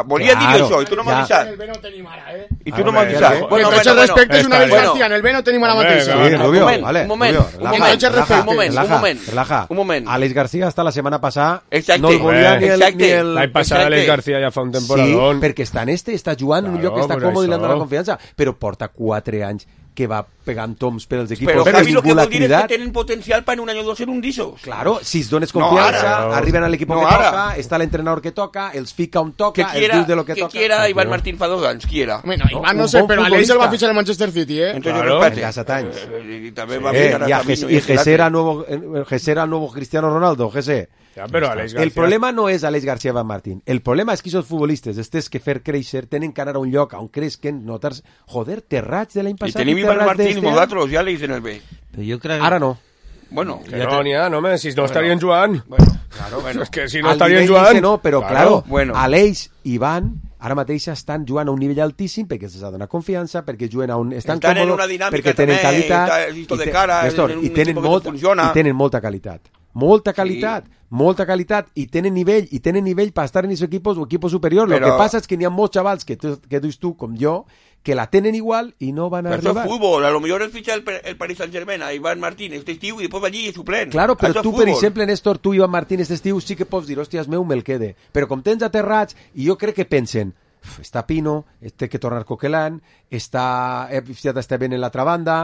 Volia claro, dir això, i tu no m'has avisat. En el B no tenim ara, eh? I tu no m'has avisat. Bueno, bueno, bueno, respecte és una vez García, en el B no tenim ara mateix. Sí, Rubio, un moment, vale, un moment, Rubio, un moment, relaja, un moment, relaja, un moment, relaja. un moment. Àlex García hasta la setmana passada exacte, no el volia ni el... Ni el... L'any passat Àlex García ja fa un temporadón. Sí, perquè està en este, està jugant en un lloc que està còmode i li han donat confiança, però porta quatre anys que va pegant toms per als equips. Però Javi, lo que vol dir és que tenen potencial per en un any o dos ser un dissos. Claro, si es dones confiança, no, arriben a l'equip no, que ara. toca, està l'entrenador que toca, els fica on toca, que quiera, els diu de lo que, que toca. Que quiera Iván Martín fa dos anys, quiera. Bueno, Iván no, no sé, però Aleix el va fitxar al Manchester City, eh? Entonces, claro, respete. ja set anys. I també va eh, mirar i, a Ges i Gesera nuevo, Gesera nuevo Cristiano Ronaldo, Gese. Ja, però Aleix García... El problema no és Aleix García Van Martín. El problema és que aquests futbolistes, estes que fer créixer, tenen que anar a un lloc on creixen, notar-se... Joder, Terrats de l'any passat... I tenim Iván Martín i nosaltres, ja l'Aleix en el B. Però jo crec... Ara no. Bueno, que no n'hi ha, no, home, si no estarien jugant. Bueno, claro, bueno. És que si no estarien jugant... No, però, claro, bueno. Aleix i Iván ara mateix estan jugant a un nivell altíssim perquè se'ls ha donat confiança, perquè juguen a un... Estan, estan còmodo, en una dinàmica perquè tenen també, qualitat, i, de cara, Néstor, i, tenen molt, i tenen molta qualitat. Molta qualitat, sí. molta qualitat, i tenen nivell, i tenen nivell per estar en aquests equipos o equipos superiors. Però... Lo que passa és que n'hi ha molts xavals que, tu, que dius tu, com jo, que la tenen igual i no van a pero arribar. Eso es fútbol, a lo mejor el ficha el, el Paris Saint-Germain a Iván Martín este estiu i després va allí i suplent. Claro, però eso tu, per exemple, Néstor, tu Iván Martín este estiu sí que pots dir, hòsties, meu, me'l quede. Però com tens aterrats, i jo crec que pensen, està Pino, té que tornar Coquelin, està, està ben en l'altra banda,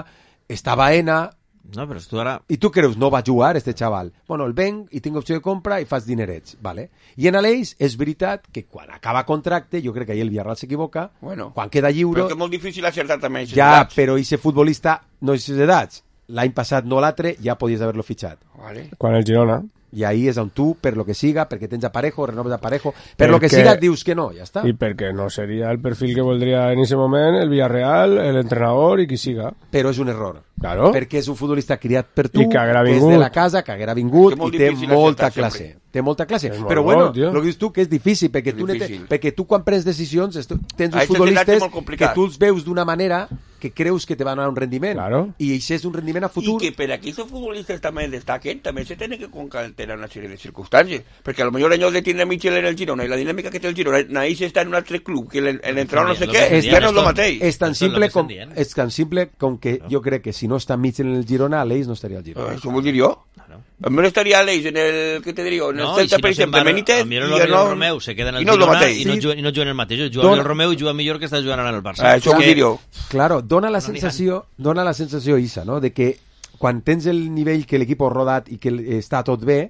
està Baena... No, però tu ara... I tu creus, no va jugar este xaval. Bueno, el venc i tinc opció de compra i fas dinerets, vale? I en Aleix és veritat que quan acaba contracte, jo crec que ahir el Villarreal s'equivoca, bueno, quan queda lliure... Però que és molt difícil acertar també. Ja, edats. Però ese futbolista no és edats. L'any passat no l'altre, ja podies haver-lo fitxat. Vale. Quan el Girona... I ahí és on tu, per lo que siga, perquè tens aparejo, renoves aparejo, per lo que siga dius que no, ja està. I perquè no seria el perfil que voldria en aquest moment el Villarreal, l'entrenador i qui siga. Però és un error. Claro. Perquè és un futbolista criat per tu, que és de la casa, que haguera vingut i té molta classe. Sempre. Té molta classe. És però bueno, bo, el que dius tu que és difícil, perquè, és tu, difícil. Te, perquè tu quan prens decisions tens uns futbolistes que tu els veus d'una manera que creus que te van a dar un rendiment. Claro. I això és un rendiment a futur. I que per aquí els futbolistes també destaquen, també se tenen que concatenar una sèrie de circumstàncies. Perquè a lo millor ellos de tiene Michel en el Girona i la dinàmica que té el Girona, ahí se està en un altre club, que l'entrenador no sé què, ja no és el mateix. És tan simple com, és tan simple com que jo crec que si no està Michel en el Girona, Aleix no estaria al Girona. Això vull dir jo. A mí no estaría Aleix en el, ¿qué te digo? En el no, Celta, si per exemple, Benítez, i el no, Romeu se queda en el i no Girona i no, sí. i no juga en el mateix. Juga el Romeu i juga millor que està jugant ara en el Barça. Ah, això vull dir jo. Claro, dona la sensació, dona la sensació, Isa, no? De que quan tens el nivell que l'equip ha rodat i que està tot bé,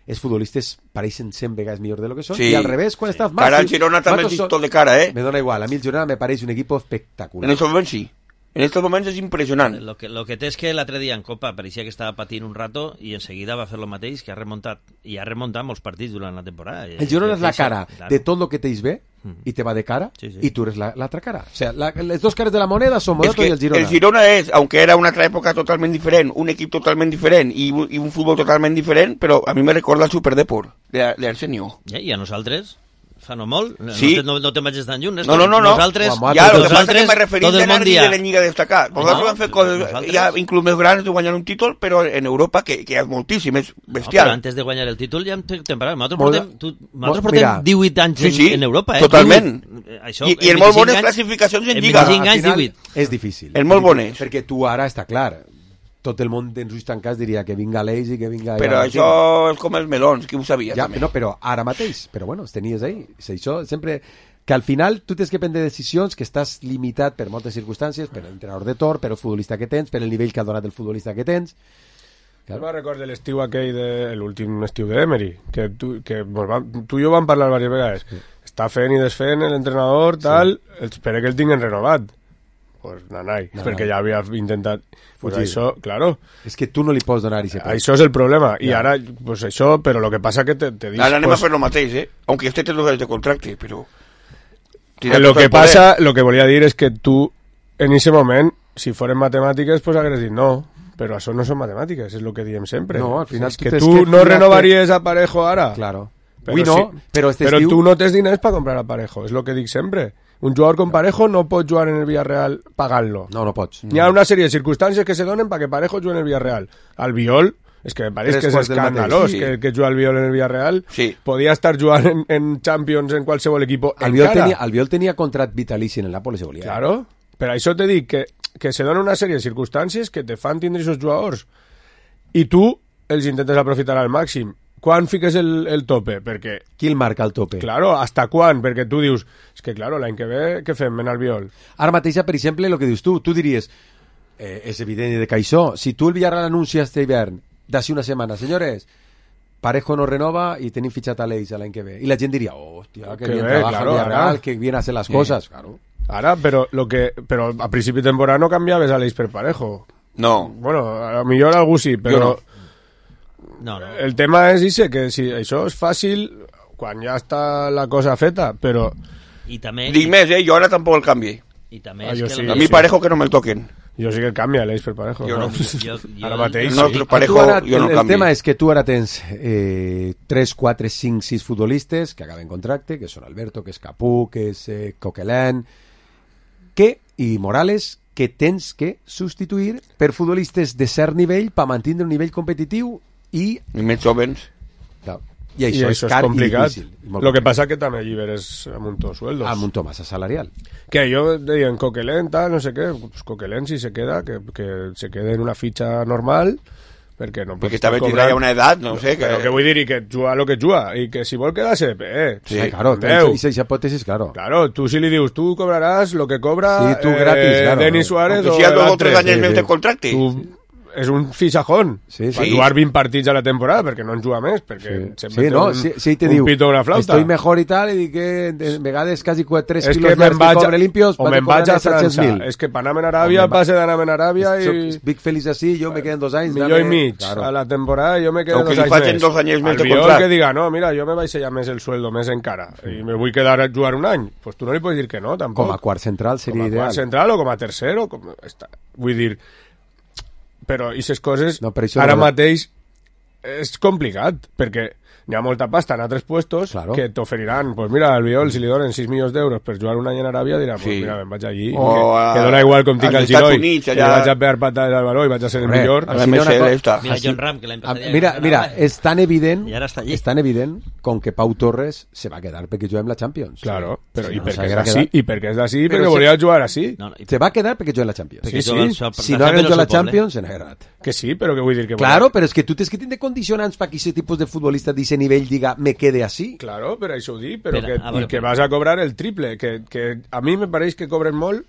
els futbolistes pareixen cent vegades millor de lo que són, sí. i al revés, quan estàs mal... Cara al Girona també és tot de cara, eh? Me dona igual, a mi el Girona me pareix un equip espectacular. En el moment sí. En estos momentos es impresionante. Lo que, lo que té és que l'altre dia en Copa parecía que estava patint un rato i enseguida va fer lo mateix, que ha remuntat i ha remuntat molts partits durant la temporada. El Girona és la cara claro. de tot lo que tens bé i te va de cara sí, sí. i tu eres l'altra cara. O sea, la, les dos cares de la moneda són Morato i el Girona. El Girona és, aunque era una altra època totalment diferent, un equip totalment diferent i, i un futbol totalment diferent, però a mi me recorda el Superdeport de, de Arsenio. Ja, I a nosaltres? Fa no molt, sí. no, no te'n vagis tan lluny. No, no, no, no. Nosaltres, ja, el que passa que me referís de anar de la Lliga destacar. Nosaltres no, vam fer coses nosaltres... ja inclús més grans de guanyar un títol, però en Europa, que, que és moltíssim, és bestial. No, però antes de guanyar el títol ja hem temperat. Nosaltres portem, tu, nosaltres portem divuit anys sí, sí, en, en Europa. Eh? Totalment. Això, I, i el molt bones classificacions en Lliga. En anys, divuit. És difícil. El molt bones. Perquè tu ara està clar, tot el món en ulls tancats diria que vinga Aleix i que vinga... Però això és com els melons, que ho sabia ja, també. No, però ara mateix, però bueno, els tenies ahí. Això sempre... Que al final tu tens que prendre decisions que estàs limitat per moltes circumstàncies, per l'entrenador de Tor, per el futbolista que tens, per el nivell que ha donat el futbolista que tens... Claro. Jo me'n recordo l'estiu aquell, de, l'últim estiu d'Emery, que, tu, que va, tu i jo vam parlar diverses vegades. Sí. Està fent i desfent l'entrenador, tal, sí. Espera que el tinguin renovat. pues nanai, No, perquè no. ja havia intentat... Pues Fugir. això, claro. És que tu no li pots donar i se pot. Això és el problema. I Ja. ara, pues això, però lo que passa que te, te dic... Ara anem pues, a fer lo mateix, eh? Aunque este té dos anys de contracte, però... que lo que passa, lo que volia dir és que tu, en ese moment, si foren matemàtiques, pues hagués dit no, però això no són matemàtiques, és el que diem sempre. No, al final és tu que tens tu que no fiar-te- renovaries a Parejo ara. Claro. Però, Avui no, sí, però este però estiu- tu no tens diners per comprar a Parejo, és el que dic sempre. Un jugador con Parejo no pot jugar en el Villarreal pagant-lo. No, no pots. Hi ha una sèrie de circumstàncies que se donen perquè Parejo jugui en el Villarreal. Albiol, és que me pareix Tres que és quarts del escandalós mateix, sí. que, que juga Albiol en el Villarreal. Sí. Podia estar jugant en, en Champions en qualsevol equip Albiol encara. tenia, Albiol tenia contrat vitalici en el Napoli, se volia. Claro, per això te dic que, que se donen una sèrie de circumstàncies que te fan tindre aquests jugadors i tu els intentes aprofitar al màxim. Quan fiques el, el tope? Perquè... Qui el marca el tope? Claro, hasta quan? Perquè tu dius, és que claro, l'any que ve, què fem en Albiol? Ara mateix, per exemple, el que dius tu, tu diries, eh, és evident de que això, si tu el Villarreal anuncia este hivern, d'ací una setmana, senyores, Parejo no renova i tenim fitxat a l'Eix l'any que ve. I la gent diria, oh, hòstia, que, Que bien bé, trabaja claro, el Villarreal, ara. que bien hace las Sí. cosas. Claro. Ara, però, lo que, però a principi de temporada no canviaves a l'Eix per Parejo. No. Bueno, a lo millor algú sí, però... no. No, no. El tema és ese, que si això és fàcil quan ja està la cosa feta, però... I també... Dic més, eh? Jo ara tampoc el canvi. I també Ah, és jo que sí, el- A mi sí. Parejo que no me'l toquen. Jo sí que el canvia l'Eix per Parejo. Jo no. Jo, jo, Ara mateix. No, sí. però Parejo Tu ara, jo no el, el canvi. tema és que tu ara tens eh, tres, quatre, cinc, sis futbolistes que acaben contracte, que són Alberto, que és Capú, que és eh, Coquelin, que, i Morales, que tens que substituir per futbolistes de cert nivell per mantenir un nivell competitiu i... I més jovens. Clar, I I això, això és car és complicat. i difícil. i molt Lo que complicat. passa que també lliberes amuntó sueldos. Amuntó massa salarial. Que yo deia en Coquelin, tal, no sé què, pues Coquelin si se queda, que, que se quede en una fitxa normal, perquè no pot Perquè estar també tindrà cobrant. ja una edat, no sé, que... Però que vull dir, i que juga lo que juga, i que si vol quedar-se, eh, Sí, claro, Déu. esa hipótesis, claro. Claro, tú si li dius, tú cobrarás lo que cobra Sí, tú gratis, claro. Denis Suárez Aunque o sea dos o l'altre. tres anys sí, més sí. de contracte. Tu és un fixajón Sí, per sí. jugar vint partits a la temporada, perquè no en juga més, perquè Sí, sempre sí, té no, un, sí, sí, te un diu, pito o una flauta. estoy mejor y tal, i dic que de vegades quasi tres És quilos que me'n més vaig, que cobre limpios, o me'n vaig a França. mil. És que per anar a Aràbia, O me'n va- passe d'anar a Aràbia i... Estic feliç així, jo me queden dos anys. Millor i dame- mig Claro. a la temporada, jo me quedo Aunque dos li anys falten més. dos anys més de Albiol contract. que diga, no, mira, jo me vaig sellar més el sueldo, més encara, i me vull quedar a jugar un any. Pues tu no li pots dir que no, tampoc. Com a quart central seria com a ideal. quart central o com a tercer o com... Està. Vull dir, però aquestes coses No, però això ara no- mateix és complicat, perquè hi ha molta pasta en altres puestos Claro. que t'oferiran, pues mira, al Albiol, si li donen sis milions d'euros per jugar un any en Aràbia, dirà, pues Sí. mira, me'n vaig allí, O que, a- que dona igual com tinc als el Estats Giroi, Units, que allà- vaig a pegar patades al baló i vaig a ser el Correcte. millor. A la Així no M S L una co- està. Mira, Així- John Ram, que l'any Ah, passat ja mira, ganava, mira, eh? és tan evident, I ara està allí. és tan evident com que Pau Torres se va quedar perquè juguem la Champions. Claro, però Sí, i no, perquè és s'haguera d'ací, quedat. i perquè és d'ací, Però perquè se- volia jugar així. No, no, i- Se va quedar perquè juguem la Champions. perquè sí, juga sí. el seu- Si la no gent hagués del jugat la seu poble. Champions, se n'hagués agradat. Que sí, però que vull dir que... Claro, però és que tu tens que tindre condicionants perquè aquest tipus de futbolista d'aquest nivell diga me quede així. Claro, però això ho dic, però Espera, que, a veure, i que però- vas a cobrar el triple, que, que a mi me pareix que cobren molt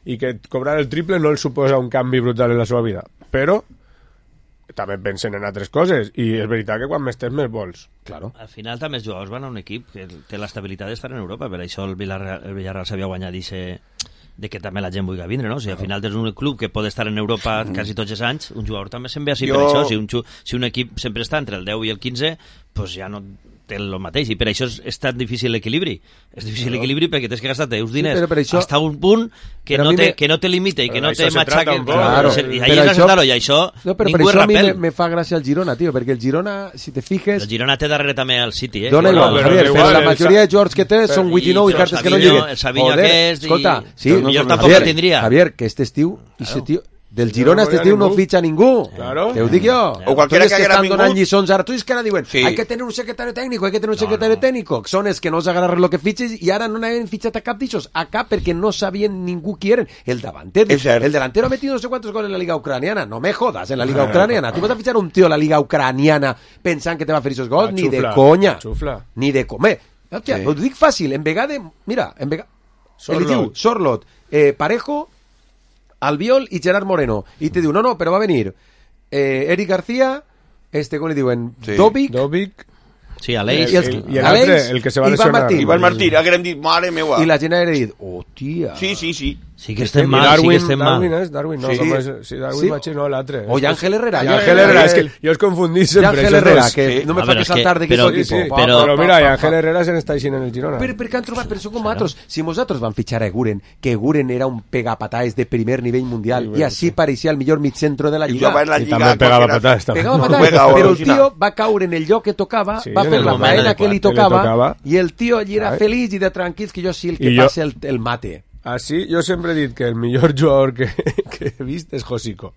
i que cobrar el triple no els suposa un canvi brutal en la seva vida, però també pensen en altres coses, i és veritat que quan més tens més vols. Claro. Al final també els jugadors van a un equip que té l'estabilitat d'estar en Europa, per això el Villarreal, el Villarreal s'havia guanyat ixe de que també la gent vulgui vindre, no? O sigui, al final tens un club que pot estar en Europa quasi tots els anys, un jugador també se'n ve així Jo- per això. Si un, ju- si un equip sempre està entre el deu i el quinze, pues ja no té el mateix, i per això és, és tan difícil l'equilibri. És difícil l'equilibri perquè tens que gastar teus diners però per això- hasta un punt que Però a no, mi te, me- que no te limita i que Però no d'això te se matxaca. trata un poc. Claro, I ahí però és això- això, i això No, però per ningú és això a mi rapel. me, me fa gràcia el Girona, tio, perquè el Girona, si te fijes... El Girona té darrere també el City, eh? Dona Sí, igual, no, però Javier, da però igual, la el majoria Sa- de jugadors que té són I vuit i nou i el cartes que no Savinho, lleguen. el Savinho Joder, aquest i- escolta, sí, Però millor tampoc Javier, el tindria. Javier, que este estiu, ese Claro. tio, del Girona este volia estiu no ningú. fitxa ningú. Claro. Te ho dic jo. O qualquiera Tots que que haguera estan donant vingut. lliçons ara, tu és que ara diuen, Sí. hay que tener un secretario técnico, hay que tener un secretario técnico. Són els que no s'agarren lo que fitxes i ara no n'havien fitxat a cap d'ixos. A cap perquè no sabien ningú qui eren. El davanter, És cert. el delantero ha metido no sé cuántos goles en la liga ucraniana. No me jodas, en la liga ucraniana. Tu vas a fichar un tío a la liga ucraniana pensant que te va a fer esos gols? La Ni de xufla, conya. la xufla. Ni de comer. Hòstia, Sí. ho dic fàcil, en vegada, mira, en vegada... Sorlot. El diu, Sorlot, eh, Parejo, Albiol i Gerard Moreno. I te diu, no, no, però va venir eh, Eric García, este, com li diuen, Sí. Dobic, Dobic, Sí, Aleix. I els- el, i el Aleix altre, el que se va i Ivan lesionar. Martín. Ivan Martín, hagueren dit, mare meua. i la gent ha dit, hòstia. Sí, sí, sí. Sí que estem mal, Darwin, sí que estem mal. Darwin és, Darwin, no, Sí. com és, sí, Darwin Sí. Machín, no, l'altre. O Ángel Herrera. I Ángel Herrera, és que jo els confundís I sempre. Ángel esos Herrera, dos. que Sí. no me A fa veure, que és que- saltar de però- equip. Sí, sí, Però- però, però mira, pa, i pa, Ángel pa. Herrera se n'està així en el Girona. Però per què han trobat? Però això com nosaltres. Si nosaltres van fitxar a Guren, que Guren era un pegapataes de primer nivell mundial, Sí, i així pareixia el millor migcentro de la I Lliga. jugava en la I Lliga. també pegava qualsevol. patadas. també. Pegava No, patadas, juega però el original. tio va caure en el lloc que tocava, Sí, va en fer el la moment faena que li adequat, que li tocava, tocava. i el tio allí era Ai. feliç i de tranquils, que jo sí el que I jo- passa el, el mate. Així, jo sempre he dit que el millor jugador que, que he vist és Josico.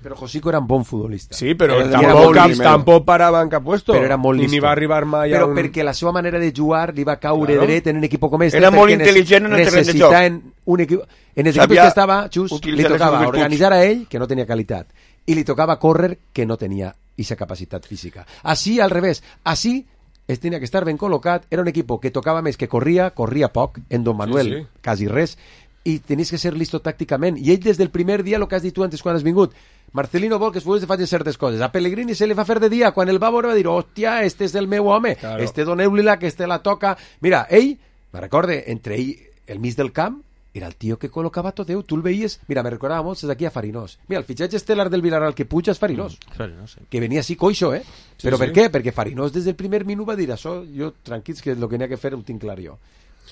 Però Josico era un bon futbolista. Sí, però Era tampoc, molt cap, listo. tampoc parava en cap puesto. Però era molt I ni listo. va arribar mai Però a un... perquè la seva manera de jugar li va caure Claro. dret en un equip com este. Era molt perquè intel·ligent en el terreny de joc. necessitaven un equip... En els equips Sabia que estava, Xus, li utilitzar les tocava seves virtuts. organitzar a ell, que no tenia qualitat, i li tocava córrer, que no tenia aquesta capacitat física. Així, al revés. Així, es tenia que estar ben col·locat. Era un equip que tocava més que corria, corria poc, en Don Manuel, Sí, sí. quasi res, i tenies que ser listo tàcticament. I ell, des del primer dia, el que has dit tu antes quan has vingut, Marcelino vol que els futbolistes facin certes coses. A Pellegrini se li fa fer de dia. Quan el va veure va dir, hòstia, este és el meu home, Claro. este doneu-li-la, que este la toca. Mira, ell, me recorde, entre ell, el mig del camp, era el tio que col·locava tot Déu. Tu el veies, mira, me recordava molt, és aquí a Farinós. Mira, el fitxatge estel·lar del Villarreal que puja és Farinós. Claro, no sé. Que venia així coixo, eh? Sí, Però sí. per què? Perquè Farinós des del primer minut va dir, això, jo, tranquils, que el que n'hi ha que fer ho tinc clar jo.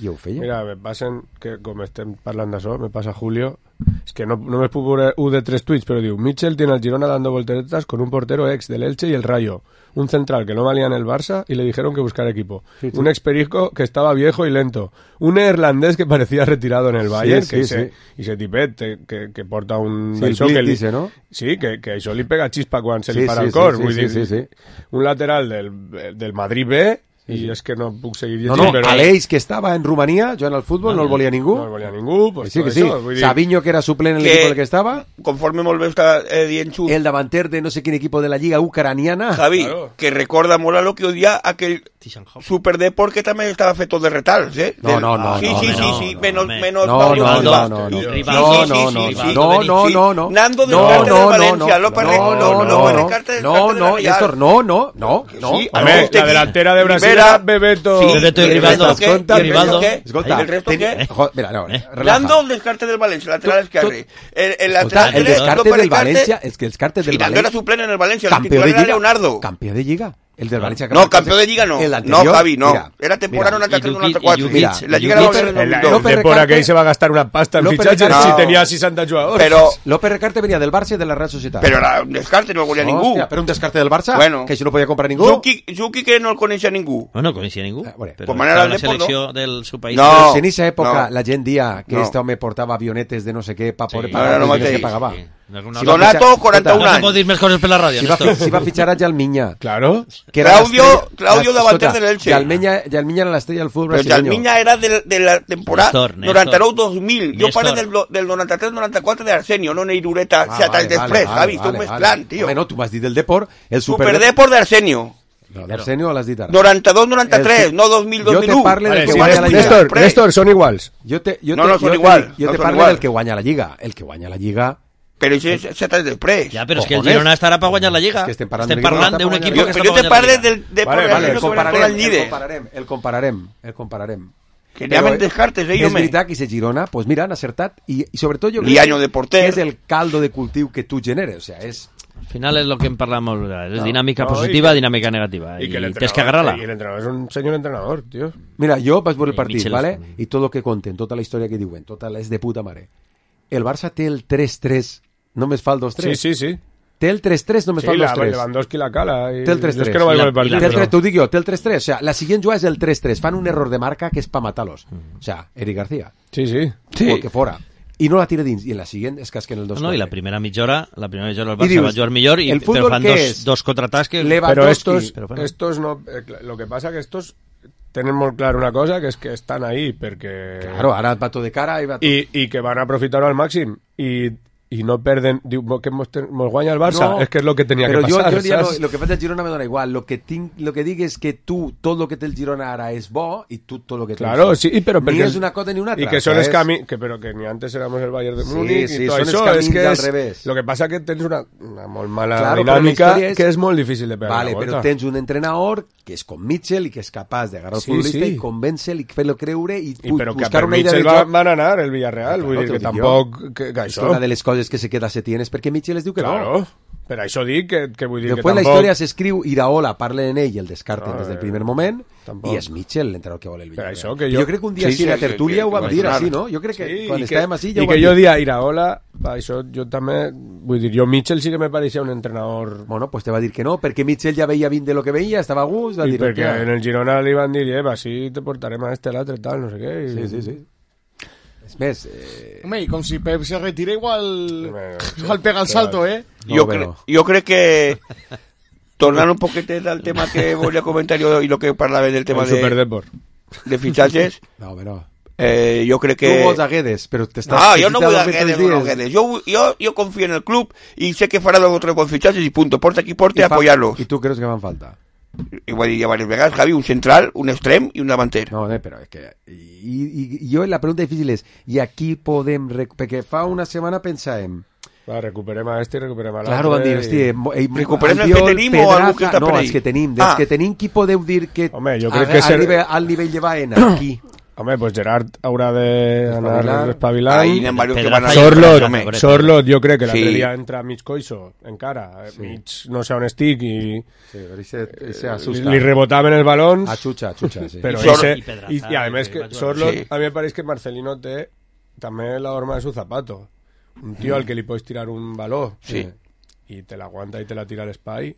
I ho feia. Mira, me passen, que com estem parlant d'això, me passa Julio, es que no, no me puc veure un de tres tuits, però diu, Mitchell tiene al Girona dando volteretas con un portero ex del Elche y el Rayo, un central que no valía en el Barça y le dijeron que buscar equipo, Sí, sí. un ex Perico que estaba viejo y lento, un neerlandés que parecía retirado en el Bayern, sí, que sí. se, y se tipet, eh, que, que porta un... Sí, el d'això Blick que li- dice, no? Sí, que, que això li pega xispa quan se Sí, li para sí, el cor, sí, vull sí, dir, sí, sí. un lateral del, del Madrid B, i és que no puc seguir No, llegint, no, però... Aleix, que estava en Romania, jugant al futbol, no el volia ningú. No el volia ningú, pues sí, que tot sí. això, vull dir- Sabiño, que era suplent en Que- l'equip en el que estava. Conforme molt bé està eh, dient Xus, El davanter de no sé quin equip de la lliga ucraniana. Javi, Claro. que recorda molt a lo que odia aquell Super Deport que també estava fet tot de retals, eh? No, no, no, Sí, no, sí, no, sí, no, sí, no, menos, home. menos No, Pablo no, Silva. no, no, no. Sí, Rivaldo, sí, sí, no, sí, no, sí, no, sí. no, no, no, no. Nando del No, Carte no, del no, Valencia, no, López no, Re- no, no, no, López no, Recarte del no, Carte de la no, Real. Néstor, no, no, no, no. Sí, A no, ver, usted la aquí, delantera de Brasil Rivera, era Bebeto. sí, Bebeto y ¿el Rivaldo. resto qué? Escolta, ¿Y el resto Rivaldo. qué? Escolta, ¿Y el resto ten- qué? jo- mira, no, Eh? relaja. Nando del Descarte del Valencia, lateral Tu- esquerre. El, el Escolta, lateral el derecho, descarte López del Recarte, Valencia, es que el descarte del y Nando era Valencia, suplente en el Valencia, el campeón titular de era Liga, Leonardo. campeón de Liga, el del Valencia. No, campeón de Liga no. El No, anterior, Javi, no. mira, Era temporada mira, noranta tres y noranta cuatro. Dukic, mira, La y Liga era Dukic, en el El, el López dos. Depor Recarte- aquell se va gastar una pasta en López fitxatges Recarte- si No. tenia seixanta jugadors. Pero, López Recarte venia del Barça i de la Real Societat. pero era un descarte, no el volia ningú. Hòstia, però un descarte del Barça, Bueno. que això no podia comprar ningú. Zuki, Zuki que no el coneixia ningú. No, no coneixia ningú. Ah, bueno. Però Com anava estava el la Depor, selecció del seu país. No. Però si en aquesta època no. la gent dia que No. este home portava avionetes de no sé què pa poder Sí. pagar No, no, els no diners que mateix. pagava. Sí. No, Si no, va Donato, fitxar- quaranta-un no escolta, se pot dir més coses per la ràdio. Si va, Néstor. fi- si va fitxar a Jalmiña. Claro. Que era Claudio- l'estrella- Claudio la- davanter escolta, del Elche. Jalmiña, Jalmiña era l'estrella del futbol Però brasileño. Jalmiña era de, de la temporada Néstor, Néstor. noranta nou dos mil. Jo Néstor. parlo del, del noranta tres noranta quatre d'Arsenio, no Neirureta, Ah, set vale, anys després, vale, Javi, vale, tu vale. mezclant, tio. Home, no, tu m'has dit del Depor, el Super, Superdeport d'Arsenio. No, d'Arsenio l'has dit ara. noranta dos noranta tres, El- no dos mil Jo dos mil te u. parle del Vale, que sí, guanya la Lliga. Néstor, Després. Néstor, són iguals. Jo te, jo No, te, no són jo igual, Te, jo no te són parlo igual. del que guanya la Lliga. El que guanya la Lliga... Però això és set anys després. Ja, però és que el Cojones. Girona estarà per guanyar la Lliga. És que estem parlant estem d'un equip parlant que d'un està equip per que Però està jo te per parle guanyar la del Lliga. de Vale, Vale, el el compararem, el Llide. compararem, el compararem, el compararem. Que llamen descartes, eh, és home. veritat que se Girona, pues mira, han acertat i, i sobretot jo Li año de porter. que és el caldo de cultiu que tu generes, o sea, és... Al final és el que en parlàvem, és No, dinàmica no, positiva, i que- dinàmica negativa. Y I, que el tens que entrenador, agarrar-la. y el entrenador es un señor entrenador, tío. Mira, jo vaig veure el I partit, Mitchell ¿vale? és- I tot el que conten, tota la història que diuen, tota la és de puta mare. El Barça té el tres tres, només fa el dos tres. Sí, sí, sí. Té el tres tres, només Sí, fa el la, dos tres. Lewandowski la cala. Y... Té el tres yo es tres. que no vaig I la- veure el i la- partit. Té el però- tres, t'ho dic jo, té el tres tres. O sea, la siguiente jugada és el tres tres. Fan un error de marca que és pa matar-los. O sea, Eric García. Sí, sí. Sí. O el que fora. I no la tira dins. I en la siguiente és casquen el dos No, i la primera mitja hora, la primera mitja hora el I Barça dius, va jugar millor, i, el però fútbol fan què dos, és? dos contraatacs que... Leva- Pero Lewandowski, estos, pero bueno. estos no... eh, cl- lo que pasa que estos tienen muy claro una cosa, que es que están ahí, porque... Claro, ara va tot de cara i va tot... I, i que van aprofitar-ho al màxim. I, i no perden, diu que mos, mos guanya el Barça, no, és que és el que tenia però que passar. Jo, jo ja no, lo que fa el Girona me dona igual, lo que, tinc, lo que dic és que tu, tot el que té el Girona ara és bo i tu tot el que té claro, el sí, però ni perquè, és una cosa ni una altra. I que són els és... camins, que, però que ni antes éramos el Bayern de Múnich sí, sí, i tot són això, els camins és que al és, revés. Lo que passa que tens una, una molt mala claro, dinàmica és... que és molt difícil de pegar vale, la volta. però tens un entrenador que és com Mitchell i que és capaç d'agarrar el sí, futbolista sí. i convèncer-lo i fer-lo creure i, I però que buscar per una idea Mitchell de joc. van anar el Villarreal, ah, vull claro, dir que dic tampoc jo. que, que és això... una de les coses que se queda a Setién és perquè Mitchell es diu que claro. no. Per això dic que, que vull dir Després que tampoc... la història s'escriu, Iraola parla en ell i el descarten no, des del primer moment tampoc. i és Mitchell l'entrenador que vol el Villarreal. Això, que jo... jo crec que un dia sí, sí, sí, a tertúlia que, ho vam que dir va així, no? Jo crec que sí, quan que, estàvem així ja i ho que vam jo dir. dia Iraola, això jo també, vull dir, jo Mitchell sí que me pareixia un entrenador... Bueno, pues te va dir que no, perquè Mitchell ja veia vint de lo que veia, estava a gust, va I dir... perquè en el Girona li van dir, eh, va, sí, te portarem a este l'altre, tal, no sé què. I... Sí, sí, sí. És més... Eh... Home, i com si Pep se retira igual... Igual pega el salto, eh? No, jo, cre jo crec que... Tornant un poquetet al tema que volia comentar jo i lo que parlava del tema de, de fitxatges... No, home, no. Eh, jo crec que... Tu vols a Guedes, però t'estàs... Ah, jo no vull a Guedes, no, Guedes. Jo, jo, jo confio en el club i sé que farà dos o tres bons fitxatges i punto. Porta qui porta i apoyar-los. I tu creus que van falta? I ho he dit ja diverses vegades, Javi, un central, un extrem i un davanter. No, eh, però és que... I, i, i jo la pregunta difícil és, i aquí podem... Perquè fa una setmana pensàvem... Va, recuperem a este i recuperem a l'altre. Claro, van dir, hosti... I... Recuperem el que tenim o algú que està no, per ahí? els que tenim. Dels ah. que tenim, qui podeu dir que... Home, jo crec que... Arriba ser... al nivell de Baena, aquí... Home, pues Gerard haurà d'anar espavilant. Ahí n'hi ha varios que van a... Sorlot, Sorlot, jo crec que l'altre Sí. dia entra mig coixo, encara, sí. mig no sé on estic i... Sí, però ese, ese asusta. Li rebotaven els balons. A xucha, a xucha, sí. Però I, ese, i, i, i a més que Sorlot, Sí. a mi me pareix que Marcelino té també la horma de su zapato. Un tio al que li pots tirar un baló Sí. i te l'aguanta i te la tira a l'espai.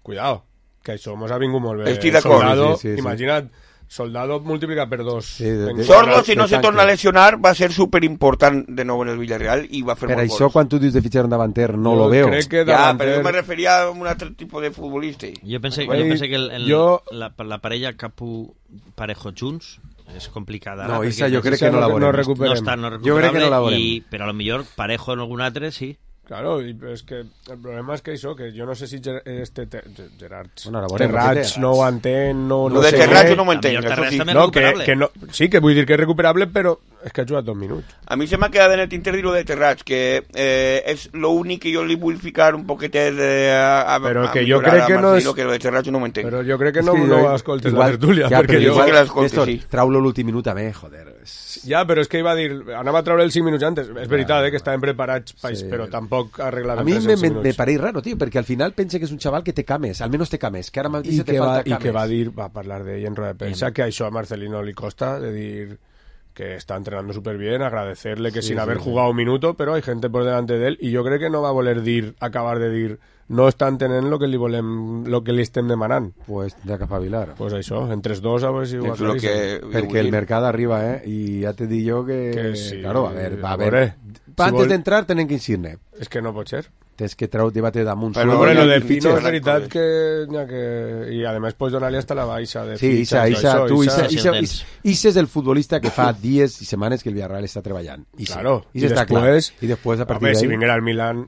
Cuidao, que això mos ha vingut molt bé. Estic d'acord. Soldado, Sí, sí, sí. imagina't, Soldado multiplica per dos. Sí, de, de, Sordo, si no de se tanque. torna a lesionar, va a ser súper important de nou en el Villarreal i va a fer Per molt això, gols. quan tu dius de fitxar un davanter, no Jo lo veo. crec que Ja, davanter... però jo me referia a un altre tipus de futbolista. Jo pense, Ei, jo pense que el, el, jo- la, la parella Capu-Parejo junts és complicada. No, ara, Isa, perquè jo crec Isa que no no- la no veurem. recuperem. no està no Jo crec que no la recuperable, veurem. i, però a lo millor Parejo en algun altre sí. Claro, i és que el problema és que això, que jo no sé si Ger este te, Gerard Bueno, ara veurem, Terrats què té? no ho entén, no, Lo no de sé Terrats què. no m'ho entenc, Millor això Terrats sí. també No, és que, recuperable. que no, sí, que vull dir que és recuperable, però és que ha jugat dos minuts. A mi se m'ha quedat en el tinter dir lo de Terrats, que eh, és lo únic que jo li vull ficar un poquetet eh, a, a, Però a que jo millorar crec a que no Marcelino, és- que lo de Terrats no m'ho entenc. Però jo crec que no, És que no jo- escoltes igual- la tertúlia, ja, perquè però jo... igual- que l'escolti, Néstor, sí. trau-lo l'últim minut també, joder. Ja, però és que iba a dir, anava a treure els cinc minuts antes. És veritat, eh, que estaven preparats, Sí. sí, però tampoc arreglaven A mi res me, en cinc me, minuts. me pareix raro, tío, perquè al final pense que és un xaval que té cames, almenys té cames, que ara mateix I te que, va, falta i cames. que va dir, va parlar d'ell en roda de prensa, que això a Marcelino li costa, de dir que está entrenando súper bien, agradecerle que Sí, sin sí, haber sí. jugado un minuto, pero hay gente por delante de él, y yo creo que no va a voler dir, acabar de dir, no estan tenint lo que li volem, lo que li estem demanant. Pues de que espavilar. Pues això, entre els dos a veure si ho És lo aclareixen. que... Perquè el mercat arriba, eh? I ja te dic jo que... Que sí, claro, a ver, va a a haver... veure, si Antes vol- d'entrar tenen que insir-ne. És que no pot ser. Tens que treu debate damunt. Però Però solo. bueno, ja lo de el Pino fitxer, es veritat pues. que, ya que... I además pues donar-li hasta la baixa de Sí, Isa, fitxes, Isa, això, tu, Isa- Isa, Isa, Isa, Isa és el futbolista que fa dies i setmanes que el Villarreal està treballant. Isa. Claro, Isa i està clar. després, I després, a partir home, si d'ahí... vinguera al Milan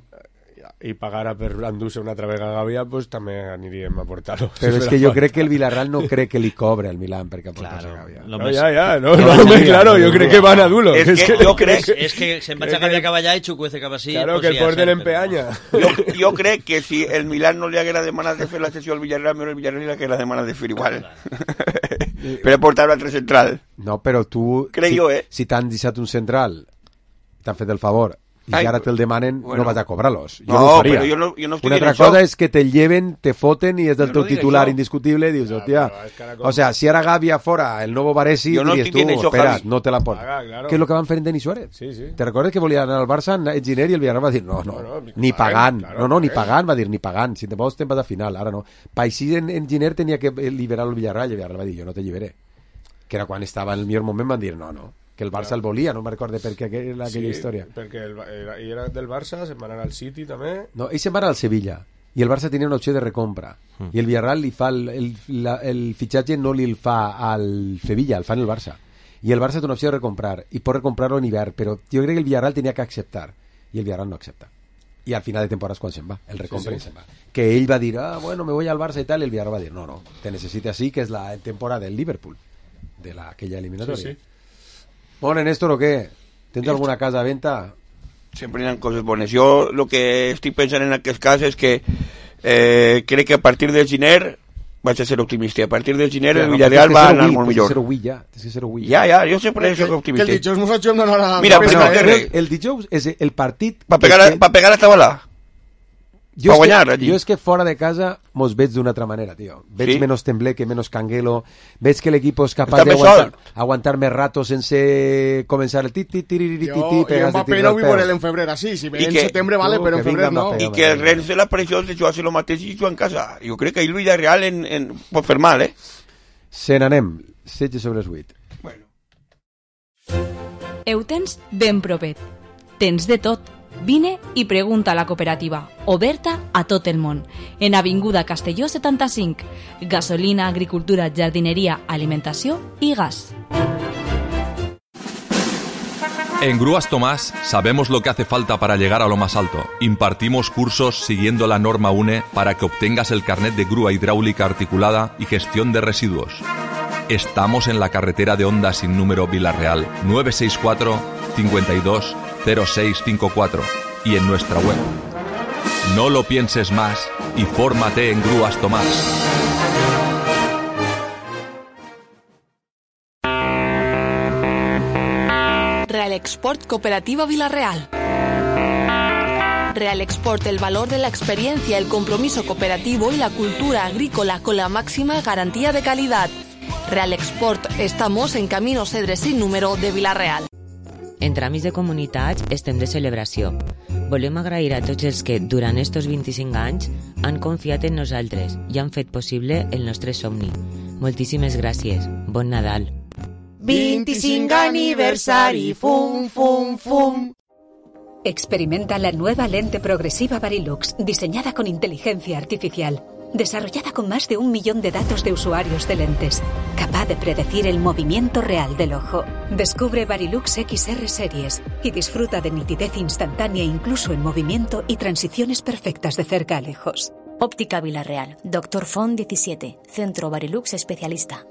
i pagara per endur-se una altra vegada a Gavia, pues també aniríem a portar-lo. Però és que jo crec que el Villarreal no crec que li cobre al Milan perquè aporta Claro, a Gavia. lo No, més- ja, ja, no, Jo no, vaig home, dir, claro, no, jo crec que van a dulo. És que jo crec... És que se'n vaig Crec a Gavia que- cap allà i xucuece cap així. Claro, pues que el ja porten saps, en però- peanya. Jo, jo crec que si el Milan no li haguera demanat de fer la sessió al Villarreal, però el Villarreal li haguera demanat de fer igual. Per portar l'altre central. No, però tu... Crec si, jo, eh? Si t'han deixat un central, t'han fet el favor, i Ai, ara te'l demanen, bueno. no vas a cobrar-los. Jo No, no ho faria. però jo no- jo no estic Una en altra això. cosa és que te lleven, te foten i és del Jo teu no dic titular això. indiscutible i dius, hòstia... però és que ara com- O sea, si ara Gavia fora el nou Varesi, Jo no diries estic tu, en això, espera, Javi. no te la porto. Ah, claro. Que és el que van fer en Denis Suárez. Sí, sí. Te recordes que volia anar al Barça en Enginyer i el Villarreal va dir, no, no, No, no, ni paguem, pagant, claro, no, no, ni paguem. pagant, va dir, ni pagant, si te vols te'n vas a final, ara no. Pa així en Enginyer tenia que liberar el Villarreal i el Villarreal va dir, jo no te lliberé. Que era quan estava en el millor moment, van dir, no, no, que el Barça el volia, no me recordo per què aquella, aquella història. perquè el, era, i era del Barça, se'n van anar al City també. No, ell se'n va anar al Sevilla i el Barça tenia una opció de recompra Mm. i el Villarreal li fa el, el, la, el fitxatge no li el fa al Sevilla, el fa en el Barça i el Barça té una opció de recomprar i pot recomprar-lo en hivern, però jo crec que el Villarreal tenia que acceptar i el Villarreal no accepta. I al final de temporada és quan se'n va, el recompra sí, sí. i se'n va. Que ell va dir, ah, bueno, me voy al Barça i tal, i el Villarreal va dir, no, no, te necesite así, que és la temporada del Liverpool, de la, aquella eliminatòria. Sí, sí. Bueno, Néstor, ¿o qué? ¿Tens alguna casa a venta? Sempre hi ha coses bones. Jo el que estic pensant en aquest cas és que eh, crec que a partir del gener vaig a ser optimista. A partir del gener ja, el Villarreal no, va anar molt millor. Tens que ser avui ja. Tens que ser avui ja. Ja, ja, jo sempre que, soc optimista. Que el dijous mos hem d'anar a... Mira, però no, el, el dijous és el partit... Pa pegar, que... pa pegar a tabalà. Jo, guanyar, que, jo és que fora de casa mos veig d'una altra manera, tio. Veig sí? menos tembleque, menos canguelo, veig que l'equip és capaç d'aguantar aguantar més rato sense començar el tit, tit, tiriririt, jo, jo en paper no vull veure en febrer així, si ve en setembre vale, però en febrer no. I que el Rennes de la pressió de jugar-se el mateix i jugar en casa. Jo crec que ahir el Villarreal en, en, pot fer mal, eh? Se n'anem, setze sobre els vuit. Bueno. Heu tens ben propet. Tens de tot. Vine i pregunta a la cooperativa, oberta a tot el món, en Avinguda Castelló setanta-cinc, gasolina, agricultura, jardineria, alimentació i gas. En Grúas Tomás sabemos lo que hace falta para llegar a lo más alto. Impartimos cursos siguiendo la norma U N E para que obtengas el carnet de grúa hidráulica articulada y gestión de residuos. Estamos en la carretera de Honda sin número Villarreal, nueve seis cuatro, cincuenta y dos, cero seis cinco cuatro y en nuestra web. No lo pienses más y fórmate en Grúas Tomás. Real Export Cooperativa Villarreal. Real Export, el valor de la experiencia, el compromiso cooperativo y la cultura agrícola con la máxima garantía de calidad. Real Export, estamos en Camino Cedre sin número de Villarreal. En tràmits de comunitats estem de celebració. Volem agrair a tots els que, durant estos vint-i-cinc anys, han confiat en nosaltres i han fet possible el nostre somni. Moltíssimes gràcies. Bon Nadal. vint-i-cinc aniversari, fum, fum, fum. Experimenta la nueva lente progresiva Varilux, diseñada con inteligencia artificial. Desarrollada con más de un millón de datos de usuarios de lentes, capaz de predecir el movimiento real del ojo. Descubre Varilux X R Series y disfruta de nitidez instantánea incluso en movimiento y transiciones perfectas de cerca a lejos. Óptica Villarreal, Doctor Font diecisiete, Centro Varilux Especialista.